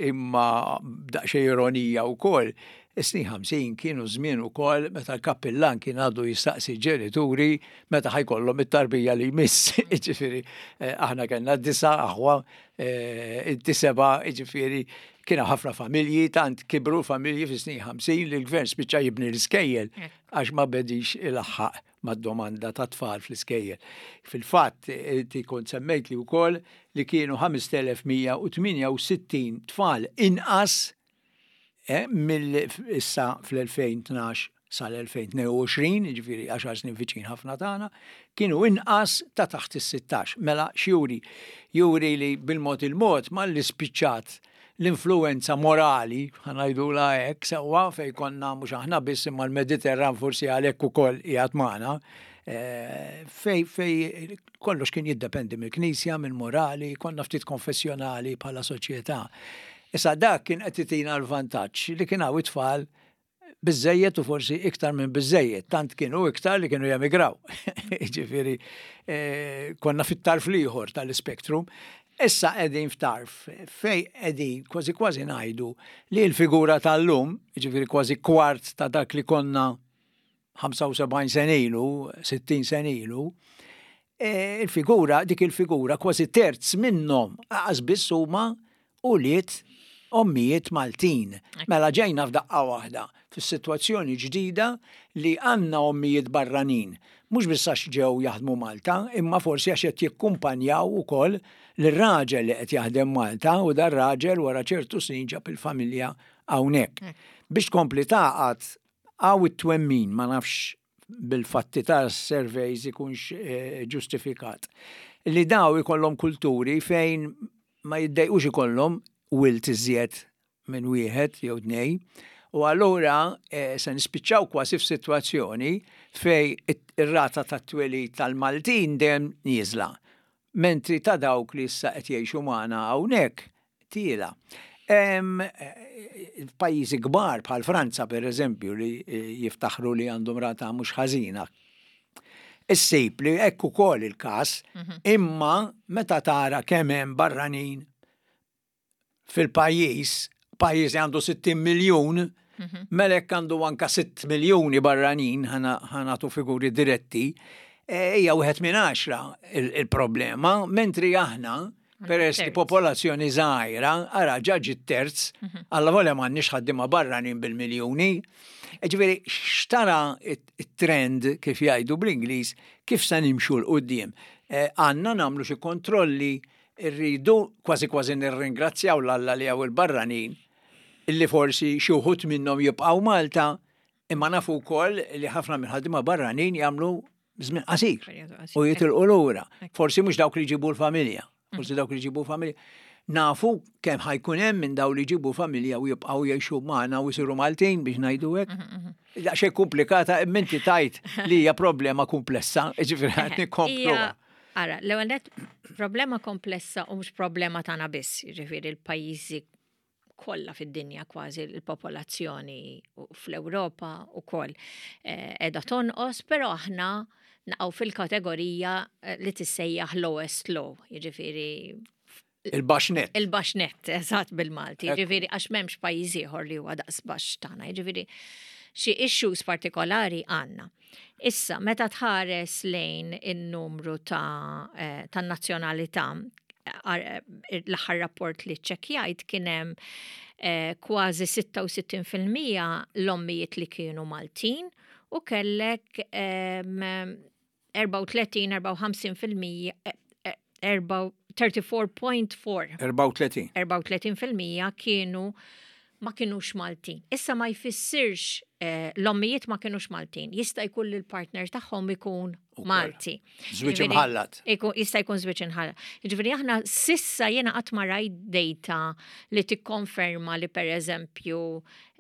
imma b'daqsxejn ironija wkoll, is-snin 50 kienu żmien ukoll meta l-kappillan kien għadu jistaqsi ġenituri meta ħajkollhom it-tarbija li jmiss. Jiġifieri aħna kellna disa' aħwa Eh, inti seba, ġifiri, kien ħafna familji, tant kibru familji fi snin 50 li l-gvern spiċċa jibni l-iskejjel għax ma bedix il-ħaq mad-domanda ta' tfal fl-iskejjel. Fil-fatt, inti kont semmejt li wkoll li kienu 5168 tfal inqas eh, mill issa fl-2012 sal-2022, jiġifieri għaxar snin viċin ħafna tagħna, kienu inqas ta' taħt is-16. Mela x'juri? Juri li bil-mod il-mod malli spiċċat l-influwenza morali, ħa ngħidulha hekk, sewwa fejn konna mhux aħna biss imma l-Mediterran forsi għalhekk ukoll qiegħed magħna, eh, fej fej kollox kien jiddependi mill-Knisja, mill-morali, konna ftit konfessjonali bħala soċjetà. Issa dak kien qed itina l-vantaġġ li kien hawn it-tfal biżżejjed u forsi iktar minn biżżejjed, tant kienu iktar li kienu jemigraw. Ġifieri eh, konna fit-tarf l-ieħor tal-ispektrum. Issa qegħdin f'tarf fej qegħdin kważi kważi ngħidu li l-figura tal-lum, ġifieri kważi kwart ta' dak li konna 75 sen ilu, 60 sen ilu, eh, il-figura, dik il-figura kważi terz minnhom aqas biss huma ulied ommijiet Maltin. Mela ġejna f'daqqa waħda fis-sitwazzjoni ġdida li għandna ommijiet barranin. Mhux biss għax ġew jaħdmu Malta, imma forsi għax qed jikkumpanjaw ukoll lir-raġel li qed jaħdem Malta u dar-raġel wara ċertu snin ġab il-familja hawnhekk. Biex tkompli tagħqad hawn it-twemmin, ma nafx bil-fatti ta' surveys ikunx eh, ġustifikat, li daw ikollhom kulturi fejn ma jiddejqux ikollhom wilt iżjed minn wieħed jew tnej. U allura eh, se nispiċċaw kważi f'sitwazzjoni fej ir-rata tat-twelid tal-Maltin dejjem nieżla. Mentri ta' dawk li issa qed jgħixu magħna hawnhekk tiela. F'pajjiżi kbar bħal Franza per eżempju li eh, jiftaħru li għandhom rata mhux ħażina. Issib li hekk ukoll il-każ, mhm. imma meta tara kemm hemm barranin fil-pajjiż, pajjiż li għandu 60 miljun, mhm. mela hekk għandu anka 6 miljuni barranin ħanatu figuri diretti, e, hija wieħed minn għaxra il-problema, mentri aħna peress li popolazzjoni żgħira, ara ġa ġiet terz, mhm. alla volja m'għandniex ħaddiema barranin bil-miljuni. E ġifieri xtara it-trend kif jgħidu bl-Ingliż kif se nimxu 'l quddiem. E, għandna nagħmlu xi kontrolli rridu kważi kważi nirringrazzjaw l-Alla li hawn il-barranin. Illi forsi xi wħud minnhom jibqgħu Malta, imma nafu wkoll li ħafna mill-ħaddiema barranin jagħmlu żmien qasir u jitilqu lura. Forsi mhux dawk li jġibu l-familja, forsi dawk li jġibu familja. Nafu kemm ħa jkun hemm minn dawn li jġibu familja u jibqgħu jgħixu magħna u jsiru Maltin biex ngħidu hekk. Daqsxejn komplikata imma inti tajt li hija problema komplessa, jiġifieri qed nikkomplu. Ara, l-ewwel nett problema komplessa u mhux problema tagħna biss, jiġifieri l-pajjiżi kollha fid-dinja kważi l-popolazzjoni fl-Ewropa wkoll qiegħda tonqos, però aħna naqgħu fil-kategorija li tissejjaħ lowest low, jiġifieri Il-baxx nett. Il-baxx nett, eżatt bil-Malti. Jiġifieri għax m'hemmx pajjiż ieħor li huwa daqs baxx tagħna. Jiġifieri xi issues partikolari għandna. Issa, meta tħares lejn in-numru ta' eh, tan-nazzjonalità, eh, l-aħħar rapport li ċċekkjajt kien hemm eh, kważi 66% l-ommijiet li kienu Maltin u kellek 34-54% 34.4. 34. 34% kienu ma kienux Maltin. Issa ma jfissirx eh, l-ommijiet ma kienux Maltin. Jista' jkun li l-partner tagħhom ikun Malti. Żwieġ imħallat. Jista' jkun żwieġ imħallat. Jiġifieri aħna sissa jiena qatt ma rajt data li tikkonferma li pereżempju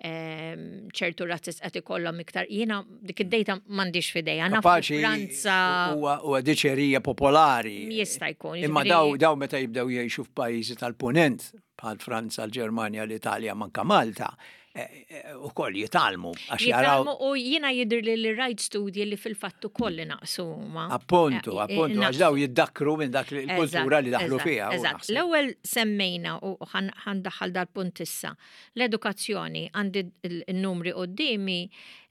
Ehm, ċertu razzis qed ikollhom iktar. Jiena dik id-data m'għandix f'idejja. Naf Franza. Huwa diċerija popolari. Jista' jkun. Imma daw daw meta jibdew jgħixu f'pajjiżi tal-punent bħal Franza, l-Ġermanja, l-Italja, manka Malta, eh, eh, u koll jitalmu. Għax jaraw. U jiena jidher li li rajt studji li fil-fatt ukoll li naqsu huma. Appuntu, eh, appuntu, għax daw jiddakru minn dak il-kultura li daħlu fiha. L-ewwel semmejna u ħandaħħal dal-punt issa. L-edukazzjoni, għandi n-numri quddiemi,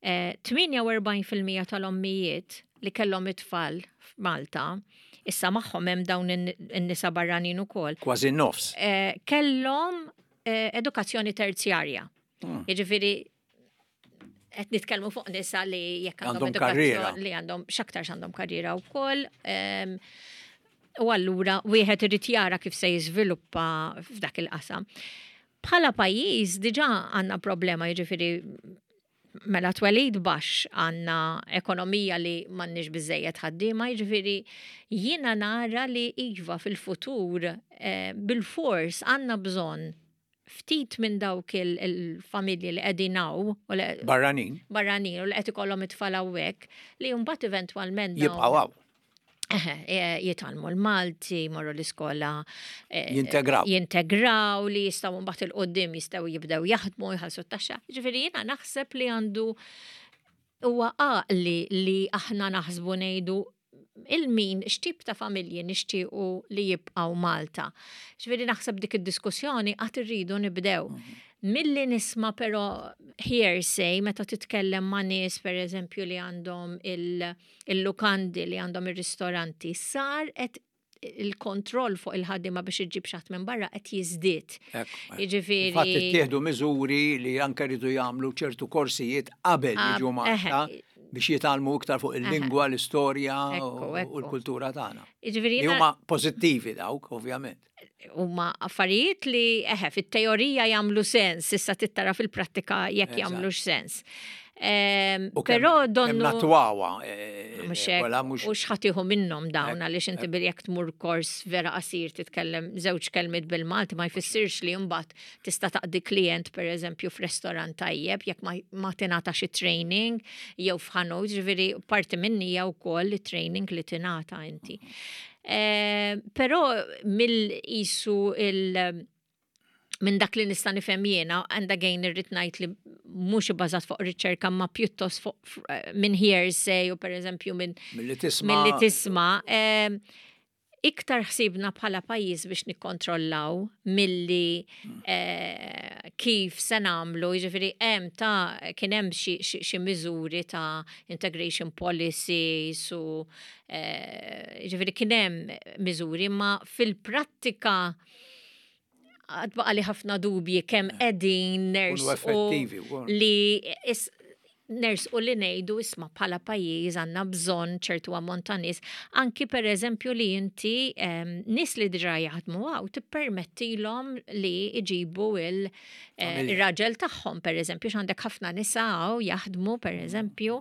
48% tal-ommijiet li kellhom it-tfal f'Malta, issa magħhom hemm dawn in-nisa barranin ukoll. Kważi n-nofs. Kellhom edukazzjoni terzjarja. Jiġifieri qed nitkellmu fuq nisa li jekk għandhom karriera. Li għandhom x'aktarx għandhom karriera wkoll. U allura wieħed irid jara kif se jiżviluppa f'dak il-qasam. Bħala pajjiż diġà għandna problema jiġifieri mela twelid baxx għandna ekonomija li m'għandniex biżejjed ħaddiema, jiġifieri jiena nara li iva fil-futur eh, bil-fors għandna bżonn ftit minn dawk il-familji li qegħdin hawn barranin. Barranin u li qed ikollhom it-tfal hawnhekk li mbagħad eventwalment jibqgħu hawn. E, jitgħallmu l-Malti, jmorru l-iskola. E, jintegraw. Jintegraw li jistgħu mbagħad il-qoddim jistgħu jibdew jaħdmu jħallsu t-taxxa. Ġifieri jiena naħseb li għandu huwa għaqli li aħna naħsbu ngħidu il-min, x'tip ta' familji nixtiequ li jibqgħu Malta. Ġifieri naħseb dik id-diskussjoni qatt irridu nibdew. Mhm. Milli nisma' però hearsay meta titkellem ma' nies pereżempju li għandhom il-lukandi li għandhom ir-ristoranti sar qed il-kontroll fuq il-ħaddiema biex iġġib xatt minn barra qed jiżdied. Jiġifieri. Fatt ittieħdu miżuri li anke rridu jagħmlu ċertu korsijiet qabel jiġu Malta biex jitgħallmu iktar fuq il-lingwa, l-istorja u l-kultura tagħna. Jiġifieri huma pożittivi dawk, ovvjament. Huma affarijiet li eħe fit-teorija jagħmlu sens, issa tittara fil-prattika jekk jagħmlux sens. Ehm, però donnu. Natwawa. Eh, eh, u xħatiħu minnom dawn għaliex inti bil jekk tmur kors vera qasir titkellem żewġ kelmiet bil-Malti ma jfissirx li mbagħad tista' taqdi klient pereżempju f'restorant tajjeb jekk ma tingħata xi training jew f'ħanut, ġifieri parti minni hija wkoll it-training li tingħata inti. Ehm, però mill-isu il- minn dak li nista' nifhem jiena, and again irrid ngħid li mhux ibbażat fuq riċerka ma pjuttost fuq eh, minn hearsay u pereżempju minn milli tisma' milli tisma' eh, iktar ħsibna bħala pajjiż biex nikkontrollaw milli eh, kif se nagħmlu, jiġifieri hemm ta' kien hemm xi miżuri ta' integration policies u jiġifieri kien hemm miżuri ma fil-prattika għad baqa li ħafna dubji kemm qegħdin ners li Nersqu li ngħidu isma' bħala pajjiż għandna bżonn ċertu ammont ta' nies, anki pereżempju li inti nies li diġà jaħdmu hawn tippermettilhom li jġibu il-raġel tagħhom pereżempju x'għandek ħafna nisa hawn jaħdmu pereżempju,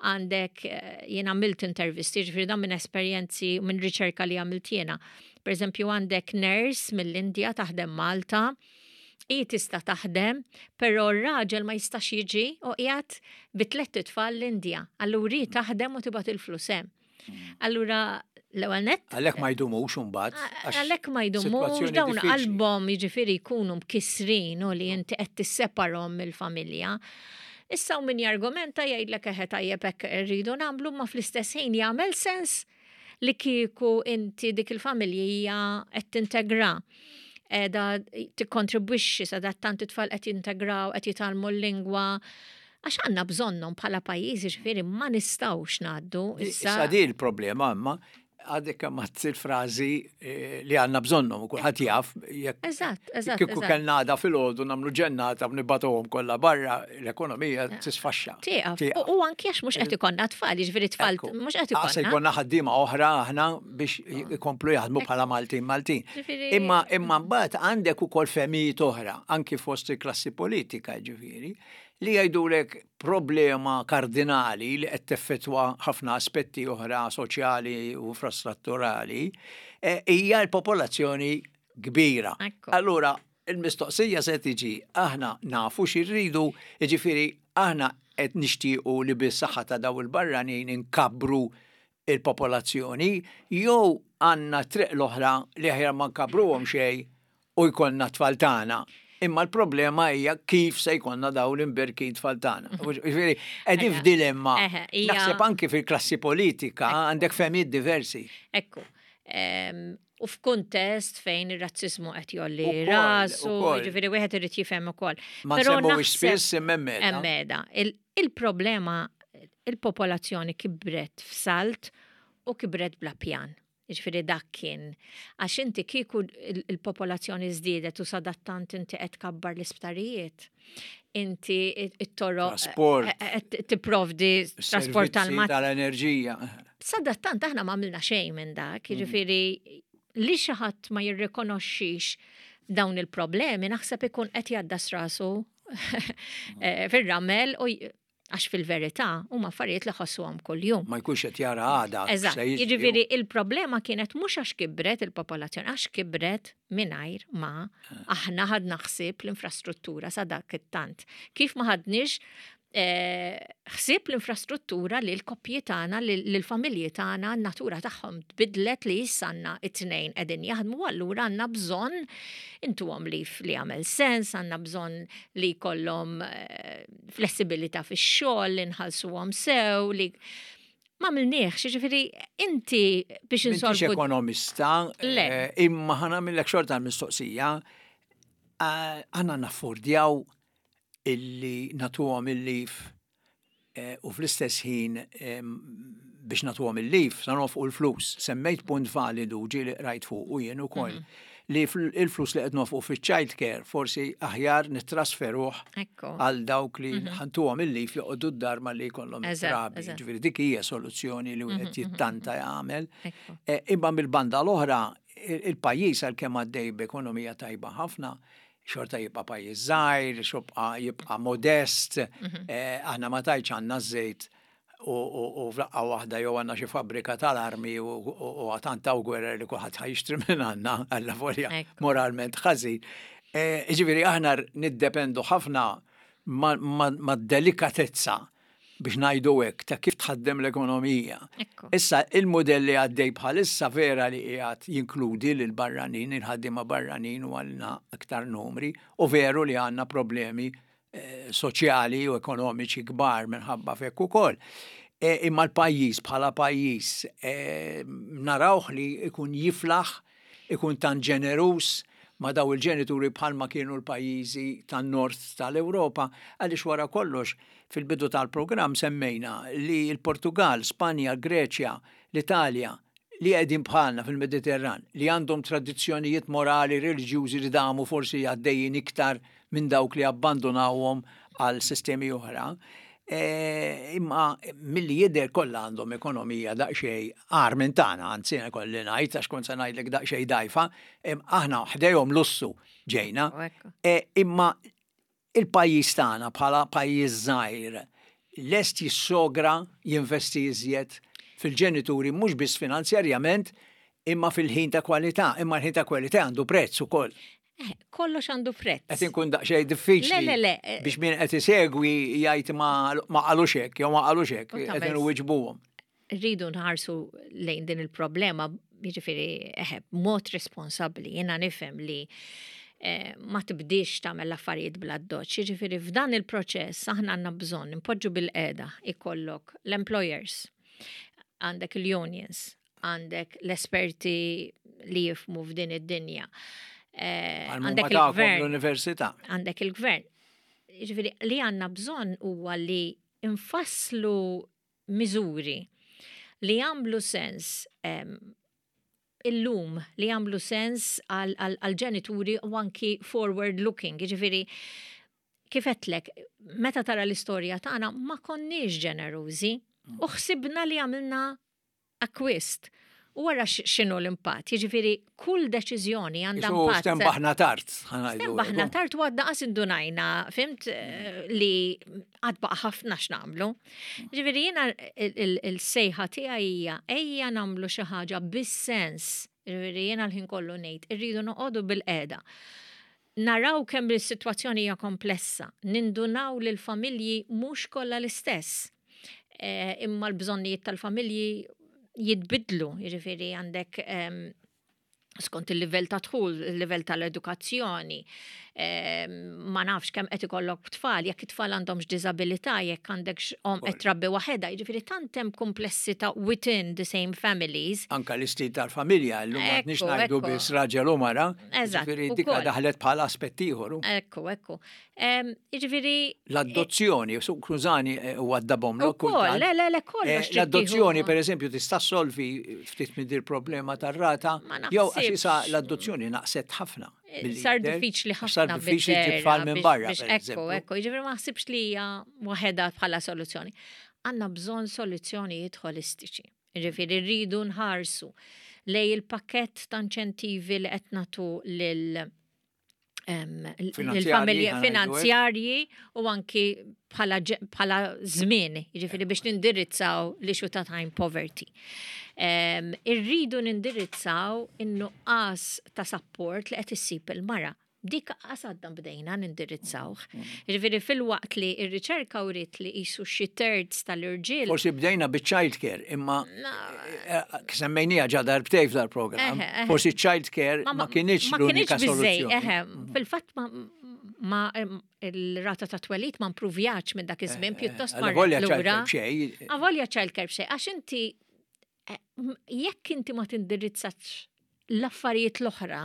għandek jien għamilt intervisti, ġifieri dan minn esperjenzi minn riċerka li għamilt jiena. Pereżempju għandek nurse mill-Indja taħdem Malta, hi tista' taħdem, però r-raġel ma jistax jiġi u qiegħed bi tlett itfal l-Indja. Allura hi taħdem u tibgħat il-flus hemm. Allura l-ewwel nett. Għalhekk ma jdumux imbagħad. Għalhekk ma jdumux dawn qalbhom jiġifieri jkunu mkissrin u li inti qed tisseparhom mill-familja. Issa u min jargumenta jgħidlek eħe tajjeb hekk irridu nagħmlu ma fl-istess ħin jagħmel sens li kieku inti dik il-familja qed tintegra qiegħda tikkontribwixxi sadattant it-tfal qed jintegraw, qed jitgħallmu l-lingwa. Għax għandna bżonnhom bħala pajjiż, jiġifieri ma nistgħux ngħaddu issa. Issa di l-problema imma għadek kemm għadt il-frażi eh, li għandna bżonnhom u kulħadd jaf jekk Eżatt, eżatt. Kieku kellna għada filgħodu nagħmlu ġennata u nibgħatuhom kollha barra l-ekonomija tisfaxxa. Tieqaf. U anki għax mhux qed ikollna tfal, jiġifieri tfal mhux qed ikollna. Se jkollna ħaddiema oħra aħna biex ikomplu jaħdmu bħala Maltin Maltin. Imma imma mbagħad għandek ukoll fehmijiet oħra anki fost il-klassi politika ġifieri li jgħidulek problema kardinali li qed teffettwa ħafna aspetti oħra soċjali u infrastrutturali eh, hija l-popolazzjoni kbira. Allura, il-mistoqsija se tiġi aħna nafu xi rridu, jiġifieri aħna qed nixtiequ li bis-saħħa ta' daw il-barranin inkabbru il-popolazzjoni jew għandna t-triq l-oħra li aħjar ma nkabbruhom xejn u jkollna t-tfal tagħna. Imma l-problema hija kif se jkollna dawn l-imberkin tfal tagħna. Jiġifieri qegħdin f'dilemma. Naħseb anki fil-klassi politika għandek fehmiet diversi. Ekku. U f'kuntest fejn ir-razziżmu qed jolli rasu, jiġifieri wieħed irid jifhem ukoll. Ma nsemmuhiex spiss imma hemm meda. Il-problema il-popolazzjoni kibret f'salt u kibret bla pjan. Jiġifieri dak kien. Għax inti kieku il-popolazzjoni żdiedet u sadattant inti qed tkabbar l-isptarijiet. Inti it-toroq Trasport. qed tipprovdi trasport tal-mat. Tal-enerġija. Sadattant aħna ma għamilna xejn minn dak, jiġifieri li xi ħadd ma jirrikonoxxix dawn il-problemi naħseb ikun qed jgħaddas rasu eh, fir-ramel u għax fil-verità huma affarijiet li ħossuhom kuljum. Ma jkunx qed jara għada. Eżatt. Jiġifieri il-problema kienet mhux għax kibret il-popolazzjoni, għax kibret mingħajr ma eh. aħna ħadna ħsieb l-infrastruttura sa dak it-tant. Kif ma ħadniex eh, ħsieb l-infrastruttura li l-koppji tagħna, li l-familji tagħna, n-natura tagħhom tbidlet li issa għandna it-tnejn qegħdin jaħdmu allura għandna bżonn intuhom li li jagħmel sens, għandna bżonn li jkollhom eh, flessibilità fix-xogħol, li nħallsuhom sew, li ma għamilniex, ġifieri inti biex insolvu. ekonomista, eh, imma ħana millek xorta mistoqsija, eh, għanna naffordjaw illi natuhom il-lif eh, u fl-istess ħin biex natuhom il-lif sa nofqu l-flus. Semmejt punt validu ġieli qrajt fuq u jien ukoll. Mhm. Li il-flus li qed nofqu fiċ-child care forsi aħjar nittrasferuh għal dawk li mhm. ħantuhom il-lif joqogħdu d-dar ma li jkollhom it-trabi. Ġifieri dik hija soluzzjoni li wieħed mhm, jittanta jagħmel. Eh, imma mill-banda l-oħra il-pajjiż għalkemm għaddej b'ekonomija tajba ħafna, xorta jibqa' pajjiż żgħir, xobqa jibqa' modest, mhm. eh, aħna ma tajċ għandna żejt u f'daqqa waħda jew għandna xi fabbrika tal-armi u għatantaw gwerer li kulħadd ħajxtri minn għandna għalla volja moralment ħażin. Eh, ġifieri aħna niddependu ħafna ma' delikatezza biex ngħidu hekk, ta' kif tħaddem l-ekonomija. Issa, il-mudell li għaddej bħalissa vera li qiegħed jinkludi lil barranin, il-ħaddiema barranin u għandna aktar numri, u veru li għandna problemi eh, soċjali u ekonomiċi kbar minħabba fekk ukoll. E, imma l-pajjiż bħala pajjiż e, narawh li ikun jiflaħ ikun tant ġeneruż ma' dawn il-ġenituri bħalma kienu l-pajjiżi tan-Nord tal-Ewropa għaliex wara kollox fil-bidu tal-programm semmejna li l-Portugall, Spanja, l-Greċja, l-Italja li qegħdin bħalna fil-Mediterran, li għandhom tradizzjonijiet morali reliġjużi li damu forsi għaddejjin iktar minn dawk li abbandunawhom għal sistemi oħra. Eh, imma milli jidher kollha għandhom ekonomija daqsxejn agħar minn tagħna, anzi kolli ngħid għax kont se ngħidlek daqsxejn dgħajfa, aħna ħdejhom lussu ġejna. Eh, imma il-pajjiż tagħna bħala pajjiż żgħir lest jissogra jinvesti iżjed fil-ġenituri mhux biss finanzjarjament imma fil-ħin ta' kwalità, imma l-ħin ta' kwalità għandu prezz ukoll. Eh, kollox għandu prezz. Qed inkun daqsxejn diffiċli. Le, le, le. Eh. Biex min qed isegwi jgħid ma qalux hekk jew ma qalux hekk, qed inwiġbuhom. Rridu nħarsu lejn din il-problema, jiġifieri eh, b'mod responsabbli. Jiena nifhem li ma tibdix tagħmel l-affarijiet bla doċ. Jiġifieri f'dan il-proċess aħna għandna bżonn impoġġu bil-qeda ikollok l-employers, għandek il-unions, għandek l-esperti li jifmu f'din id-dinja. Eh, għandek il-gvern. L-università. Għandek il-gvern. Ġifieri li għandna bżonn huwa li infasslu miżuri li jagħmlu sens illum li jagħmlu sens għal-ġenituri u anki forward looking. Ġifieri kif għedtlek, meta tara l-istorja tagħna ma konniex ġenerużi u ħsibna li għamilna akkwist. U wara x'inhu l-impatt. Jiġifieri kull deċiżjoni għandha impatt. Stembaħna tard. Stembaħna tard u għadna qas indunajna, fimt eh, li għad baqa' ħafna x'nagħmlu. Jiġifieri jiena il-sejħa tiegħi hija ejja nagħmlu xi ħaġa bis-sens. Jiġifieri jiena l-ħin kollu ngħid irridu noqogħdu bil-qeda. Naraw kemm is-sitwazzjoni hija komplessa, nindunaw li l-familji mhux kollha l-istess. Eh, imma l-bżonnijiet tal-familji jitbidlu, jiġifieri għandek ehm, skont il-livell ta' dħul, il-livell tal-edukazzjoni, ehm, ma nafx kemm qed ikollok tfal, jekk it-tfal għandhomx diżabilità, jekk għandek om qed trabbi waħedha, jiġifieri tant hemm komplessità within the same families. Anka l-istil tal-familja, llum m'għadniex ngħidu biss raġel u mara, jiġifieri dik daħlet bħala aspett ieħor. Ekku, ekku. Jiġifieri. L-adozzjoni, skużani, eh, u għaddabhom l Le, le, le, kollox. Eh, l-adozzjoni, per eżempju, tista' solvi ftit minn dir problema tar-rata, jew għax issa l-adozzjoni naqset ħafna. Eh, sar diffiċli ħafna. Sar diffiċli tfal minn barra. Ekku, ekku, jiġifieri ma ħsibx li hija waħedha bħala soluzzjoni. Għandna bżonn soluzzjonijiet holistiċi. Jiġifieri rridu nħarsu lej il-pakkett ta' inċentivi li qed nagħtu lil il-familji finanzjarji u anki bħala żmien, jiġifieri biex nindirizzaw l-issue ta' time poverty. Irridu nindirizzaw in-nuqqas ta' support li qed issib il-mara. Dik qas għadna bdejna nindirizzawh. Jiġifieri filwaqt li r-riċerka wriet li qisu xi terz tal-irġiel. Forsi bdejna biċ-child care, imma eh, eh, semmejnija ġa darbtej f'dal-programm. Forsi child care ma kienx l-unika soluzzjoni. Fil-fatt ma il-rata ta' twelid ma mpruvjaċ minn dak iż-żmien pjuttost ma Avolja child care b'xej. Avolja child care b'xej, għax inti jekk inti ma tindirizzax l-affarijiet l-oħra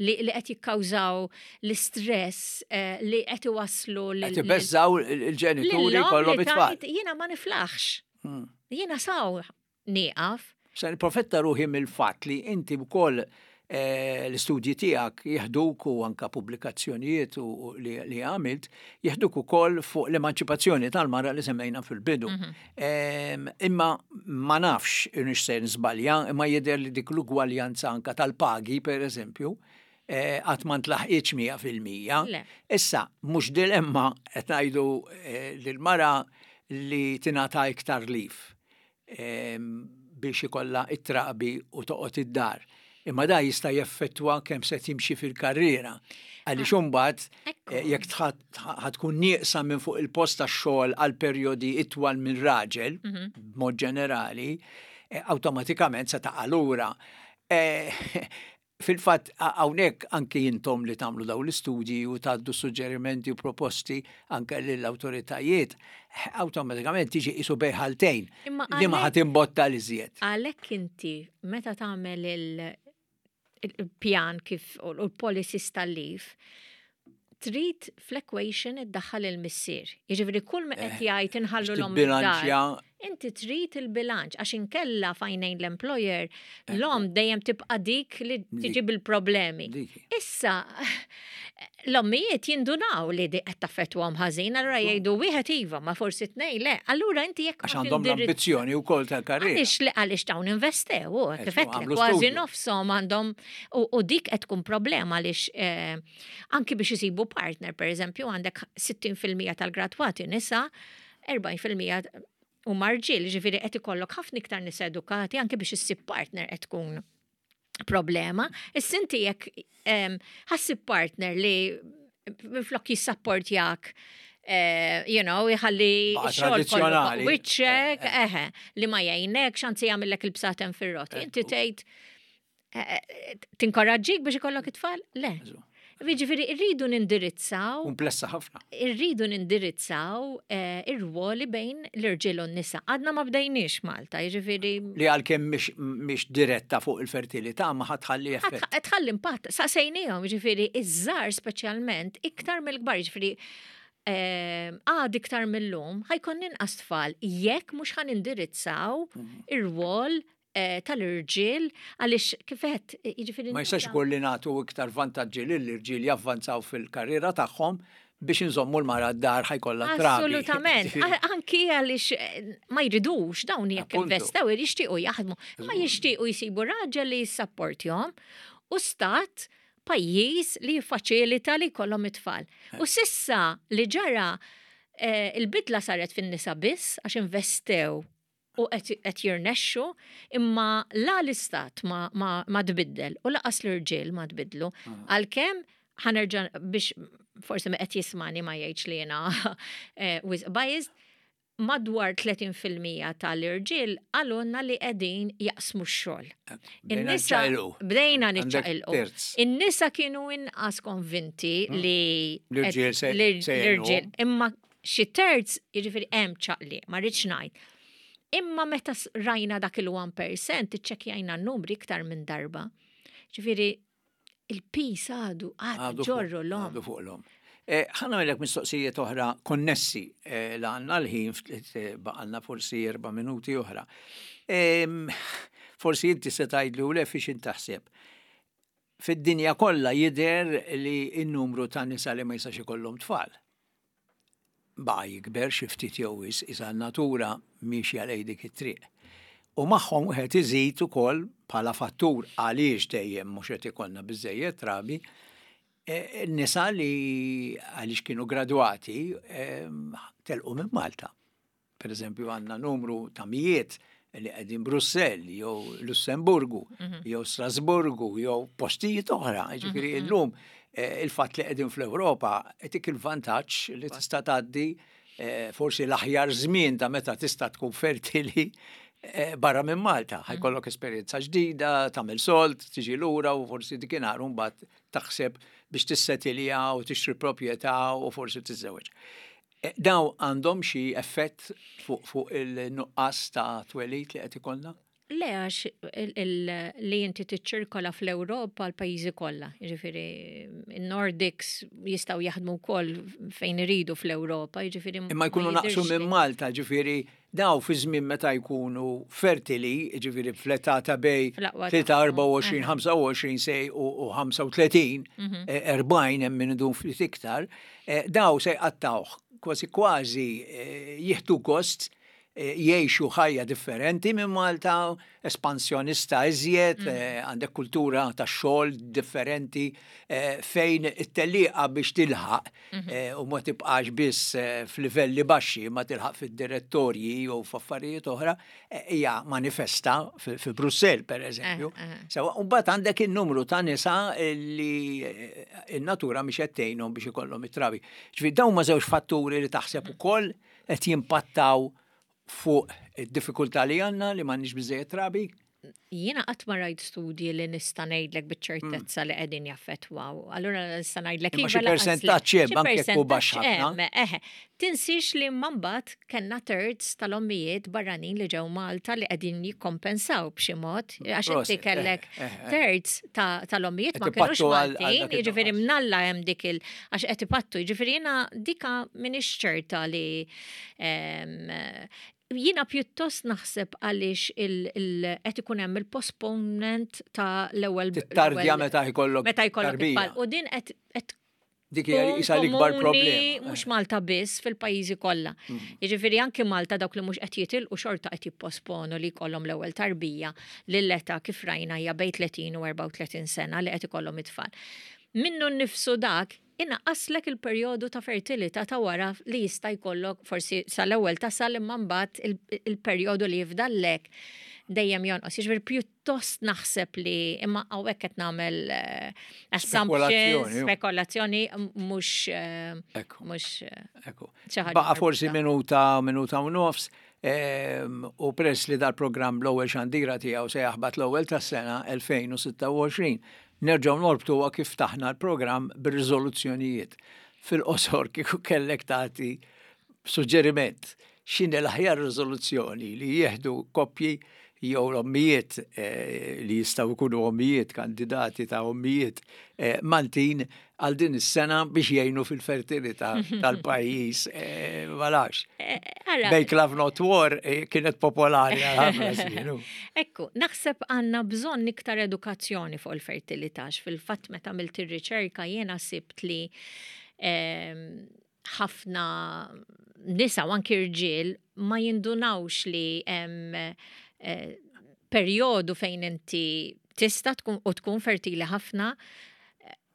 li qed jikkawżaw l-istress eh, li qed iwasslu li. Qed ibeżżaw il-ġenituri kollhom it-tfal. Jiena ma niflaħx. Hmm. Jiena saw nieqaf. Se nipprofetta ruħi mill-fatt li inti wkoll eh, l-istudji tiegħek jeħduk u anka pubblikazzjonijiet u li għamilt jeħduk ukoll fuq l-emanċipazzjoni tal-mara li semmejna fil-bidu. Mhm. Imma ma nafx nix se nżbalja, imma jidher li dik l-ugwaljanza anka tal-pagi, per eżempju, eh, qatt ma ntlaħqitx 100%. Issa, mhux dilemma qed ngħidu eh, lill-mara li tingħata iktar lif biex ikollha it-trabi u toqgħod id-dar. Imma da jista' jeffettwa kemm se timxi fil-karriera. Għaliex ah, imbagħad eh, jekk tkun nieqsa minn fuq il-post tax-xogħol għal perjodi itwal minn raġel, mhm. b'mod ġenerali, eh, awtomatikament se taqa' lura. Eh, Fil-fatt, hawnhekk anki intom li tagħmlu dawn l-istudji u tgħaddu suġġerimenti u proposti anke lill-awtoritajiet, awtomatikament tiġi qisu bejn ħaltejn li ma ħadd imbotta li żjed. Għalhekk inti meta tagħmel il-pjan kif u l-policies tal-leave, trid fl-equation iddaħħal il-missier. Jiġifieri kull ma qed eh, jgħid inħallu l-omm. Inti trid il-bilanċ għax inkella f'għajnejn l-employer l-omm dejjem tibqa' dik li tiġi bil-problemi. Issa l-ommijiet jindunaw li di qed taffettwahom ħażin, allura jgħidu wieħed iva, ma forsi tnej le. Allura inti jekk Għax għandhom l-ambizzjoni wkoll tal-karriera. Għaliex li għaliex dawn investew, u kif kważi nofshom għandhom u dik qed tkun problema għaliex eh, anki biex isibu partner, per eżempju, għandek 60% tal-gradwati nisa, 40% u marġil, ġifiri qed ikollok ħafna iktar nisa edukati anki biex issib partner qed tkun problema. Issa inti jekk ħassib partner li minflok jissapportjak eh, you know, jħalli xogħol wiċċek, eh, eh. eħe, li ma jgħinek, xanzi jagħmillek il-bsaten fir-roti. Inti tgħid tinkoraġġik biex ikollok it-tfal? Le. Jiġifieri rridu nindirizzaw. Komplessa ħafna. Irridu nindirizzaw eh, ir-rwoli bejn l-irġiel u n-nisa. Għadna ma bdejniex Malta, jiġifieri. Li għalkemm mhix diretta fuq il-fertilità ma ħatħalli effett. Tħalli impatt, saqsejniehom, jiġifieri iż-żgħar speċjalment iktar mill-kbar, jiġifieri eh, għad iktar mill-lum ħajkun inqas tfal jekk mhux ħan indirizzaw mhm. ir-rwol Eh, tal-irġiel għaliex kifet eh, jiġifieri. Ma jistax ikun li nagħtu iktar vantaġġi lill-irġiel javvanzaw fil-karriera tagħhom biex inżommu l-mara d-dar ħajkollha trabi. Assolutament. Anki għaliex eh, ma jridux dawn jekk investew jixtiequ jaħdmu, ma jixtiequ jsibu raġel li jissapportjhom u stat pajjiż li jiffaċilita li jkollhom it-tfal. U sissa li ġara il-bidla saret fin-nisa biss għax investew u qed jirnexxu, imma la l-istat ma, ma, ma tbiddel u laqas l-irġiel ma tbiddlu. Ah. Għalkemm ħanerġa' biex forsi ma qed jismani ma jgħidx li jiena eh, wisq biased, madwar 30% tal-irġiel għalunna li qegħdin jaqsmu x-xogħol. Eh, In-nisa bdejna niċċaqilqu. In-nisa kienu inqas konvinti hmm. li l-irġiel imma Xi terz, jiġifieri hemm ċaqliq, ma rridx ngħid. Imma meta rajna dak il-1%, iċċekkjajna n-numri iktar minn darba. Ġifieri il-pis għadu għadu ġorru l-om. Għadu fuq l-om. Eh, ħa nagħmellek mistoqsijiet oħra konnessi eh, la għandna l-ħin eh, baqalna forsi erba' minuti oħra. Ehm, forsi inti se tgħidli u le fiex intaħseb. Fid-dinja kollha jidher li n-numru ta' nisa li ma jistax ikollhom tfal baqa' jikber xi ftit jew wisq, isa n-natura miexja lejn dik it-triq. U magħhom wieħed iżid ukoll bħala fattur għaliex dejjem mhux qed ikollna biżżejjed trabi, eh, nisa li għaliex kienu gradwati eh, telqu minn Malta. Per eżempju għandna numru ta' mijiet li qegħdin Brussell jew Lussemburgu mhm. jew Strasburgu jew postijiet oħra. Ġifieri mhm. illum eh, il-fatt li qegħdin fl-Ewropa qed il-vantaġġ li tista' tgħaddi eh, forsi l-aħjar żmien ta' meta tista' tkun fertili eh, barra minn Malta. Mhm. Ħajkollok esperjenza ġdida, tagħmel solt, tiġi lura u forsi dikinhar mbagħad taħseb biex tissetilja u tixtri proprjetà u forsi tiżżewweġ. Eh, daw għandhom xi effett fuq il-nuqqas ta' twelid li qed ikollna? Le għax li inti tiċċirkola fl-Ewropa l-pajjiżi kollha, jiġifieri n-Nordics jistgħu jaħdmu wkoll fejn iridu fl-Ewropa, jiġifieri. Imma jkunu naqsu minn Malta, ġifieri Daw fi żmien meta jkunu fertili, jiġifieri fl-età ta' bej 23, 24, 25 sej u 35, 40 hemm min idum ftit iktar, eh, daw se jqattawh kważi kważi eh, jieħdu gost eh, jgħixu ħajja differenti minn Malta, espansjonista iżjed, mm. għandek kultura ta' xogħol differenti fejn it-tellieqa biex tilħaq mhm. eh, u ma tibqax biss eh, f'livelli baxxi ma tilħaq fid-direttorji jew f'affarijiet oħra eh, hija manifesta fi Brussell per eżempju. Sewa, u mbagħad għandek in-numru ta' nisa li in-natura mhix qed tgħinhom biex ikollhom it-trabi. Ġifieri dawn ma żewġ fatturi li taħseb mhm. ukoll qed jimpattaw fuq id-diffikultà li għandna li m'għandniex biżejjed trabi? Jiena qatt ma rajt studji li nista' ngħidlek biċ-ċertezza mm. li qegħdin jaffettwaw. Allura nista' ngħidlek iva. Xi persentaġġ hemm anke jekk hu baxx ħafna. Eħe. Tinsiex li mbagħad kellna terz tal-ommijiet barranin li ġew Malta li qegħdin jikkompensaw b'xi mod għax inti kellek eh, eh, eh. terz tal-ommijiet ma kinux Maltin, jiġifieri mnalla hemm dik il għax qed ipattu, jiġifieri jiena dika m'iniex ċerta li. Jiena pjuttost naħseb għaliex qed ikun hemm il-postponement ta' l-ewwel. Tardja meta jkollok. Meta jkollok it-tfal. U din qed Dik hija isa l-ikbar problema. Mhux Malta biss fil-pajjiżi kollha. Jiġifieri anki Malta dawk li mhux qed jitilqu xorta qed jipposponu li jkollhom l-ewwel tarbija lill-età kif rajna hija bejn 30 u 34 sena li qed ikollhom it-tfal. Minnu nnifsu dak inaqqaslek il-perjodu ta' fertilità ta' wara li jista' jkollok forsi sal-ewwel tasal imma mbagħad il-perjodu li jifdallek dejjem jonqos. Jiġifieri pjuttost naħseb li imma hawnhekk qed nagħmel eh, assumptions, spekulazzjoni mhux eh, mhux eh, Baqa' forsi minuta, minuta u nofs. Ehm, u press li dal-programm l-ewwel xandira tiegħu se jaħbat l-ewwel tas-sena 2026 Nerġgħu norbtuha kif ftaħna l-programm bir-riżoluzzjonijiet. Fil-qosor kieku kellek tagħti suġġeriment x'inhi l-aħjar riżoluzzjoni li jieħdu koppji jew ommijiet eh, li jistgħu jkunu ommijiet kandidati ta' ommijiet eh, Maltin għal din is-sena biex jgħinu fil-fertilità tal-pajjiż eh, ma nafx. Eh, Make Love Not War eh, kienet popolari għal ħafna żmien. Ekku, naħseb għandna bżonn iktar edukazzjoni fuq il-fertilità fil-fatt meta għamilt ir-riċerka jiena sibt li ehm, ħafna nisa u anki rġiel ma jindunawx li hemm perjodu fejn inti tista' tkun u tkun fertili ħafna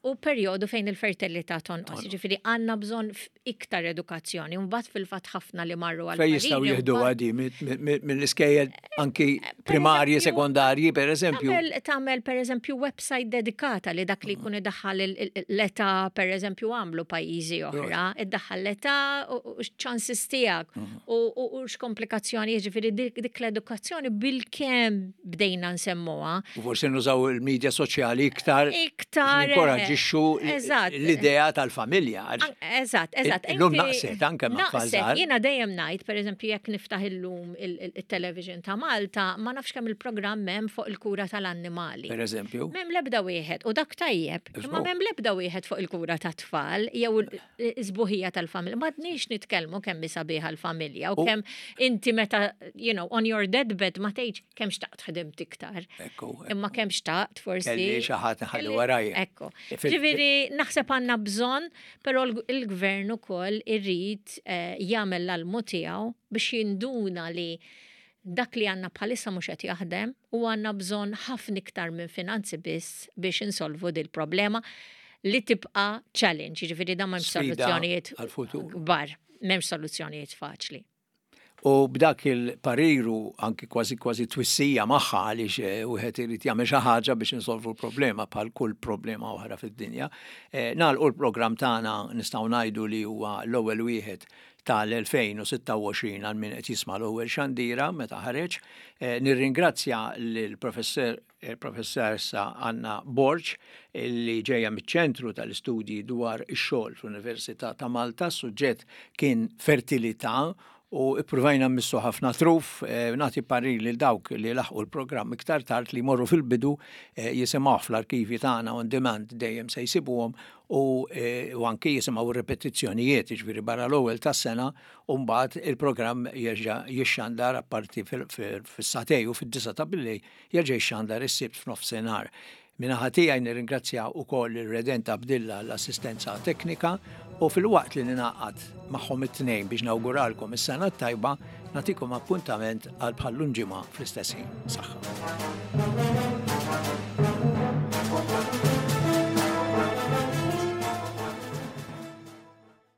u perjodu fejn il-fertilità tonqos. Ġifieri għandna bżonn iktar edukazzjoni. Mbagħad fil-fatt ħafna li marru għal. Fejn jistgħu jieħdu għadi mill-iskejjel anki eh, primarji, sekondarji, per eżempju. Tagħmel per eżempju website dedikata li dak li jkun idaħħal l-età per eżempju għamlu pajjiżi oħra, iddaħħal l-età u x-ċansis tiegħek mhm. u x'komplikazzjoni, jiġifieri dik l-edukazzjoni bil-kemm bdejna nsemmuha. U forsi nużaw il-medja soċjali iktar. Iktar. Inkoraġġixxu l-idea tal-familja. Eżatt, eżatt. Illum naqset anke ma' tfal. Jiena dejjem ngħid, pereżempju, jekk niftaħ illum il-television ta' Malta, ma nafx kemm il-programm hemm fuq il-kura tal-annimali. Pereżempju. M'hemm l-ebda wieħed u dak tajjeb, imma m'hemm l-ebda wieħed fuq il-kura tat-tfal jew is-sbuħija tal-familja. M'għadniex nitkellmu kemm hi sabiħa l-familja u kemm inti meta, you know, on your deathbed ma tgħidx kemm xtaqt ħdimt iktar. Ekku. Imma kemm xtaqt forsi. Kelli xi ħadd nħalli warajja. Ekku. Ġifieri naħseb għandna bżonn, però l-gvern ukoll irrid eh, jagħmel l-almu tiegħu biex jinduna li dak li għandna bħalissa mhux qed jaħdem u għandna bżonn ħafna iktar minn finanzi biss biex insolvu dil-problema li tibqa' challenge, jiġifieri dan m'hemmx soluzzjonijiet kbar, m'hemmx soluzzjonijiet faċli. U b'dak il-parir u anki kważi kważi twissija magħha għaliex eh, wieħed irid jagħmel xi ħaġa biex insolvu l-problema bħal kull problema oħra fid-dinja. Eh, nagħlqu l-programm tagħna nistgħu ngħidu li huwa l-ewwel wieħed tal-2026 għal min qed jisma' l-ewwel xandira meta ħareġ. Eh, nirringrazzja lill-professor il-Professoressa Anna Borg li ġejja miċ-Ċentru tal-Istudji dwar ix-Xogħol fl-Università ta' Malta. Suġġett kien fertilità u ippruvajna mmissu ħafna truf, eh, nagħti parir lil dawk li laħqu l-programm iktar tard li jmorru fil-bidu eh, jisimgħuh fl-arkivi tagħna on demand dejjem se jsibuhom u, eh, u anki jisimgħu ripetizzjonijiet, jiġifieri barra l-ewwel tas-sena u mbagħad il-programm jerġa' jixxandar apparti fis-satej u fid-disa ta' billejl Jerġa' jixxandar is-Sibt f'nofsinhar. Min-naħa tiegħi nirringrazzja wkoll lil Redent Abdilla għall-assistenza teknika u filwaqt li ningħaqad magħhom it-tnejn biex nawguralkom is-sena t-tajba, nagħtikom appuntament għal bħal-lum ġimgħa fl-istess ħin. Saħħa.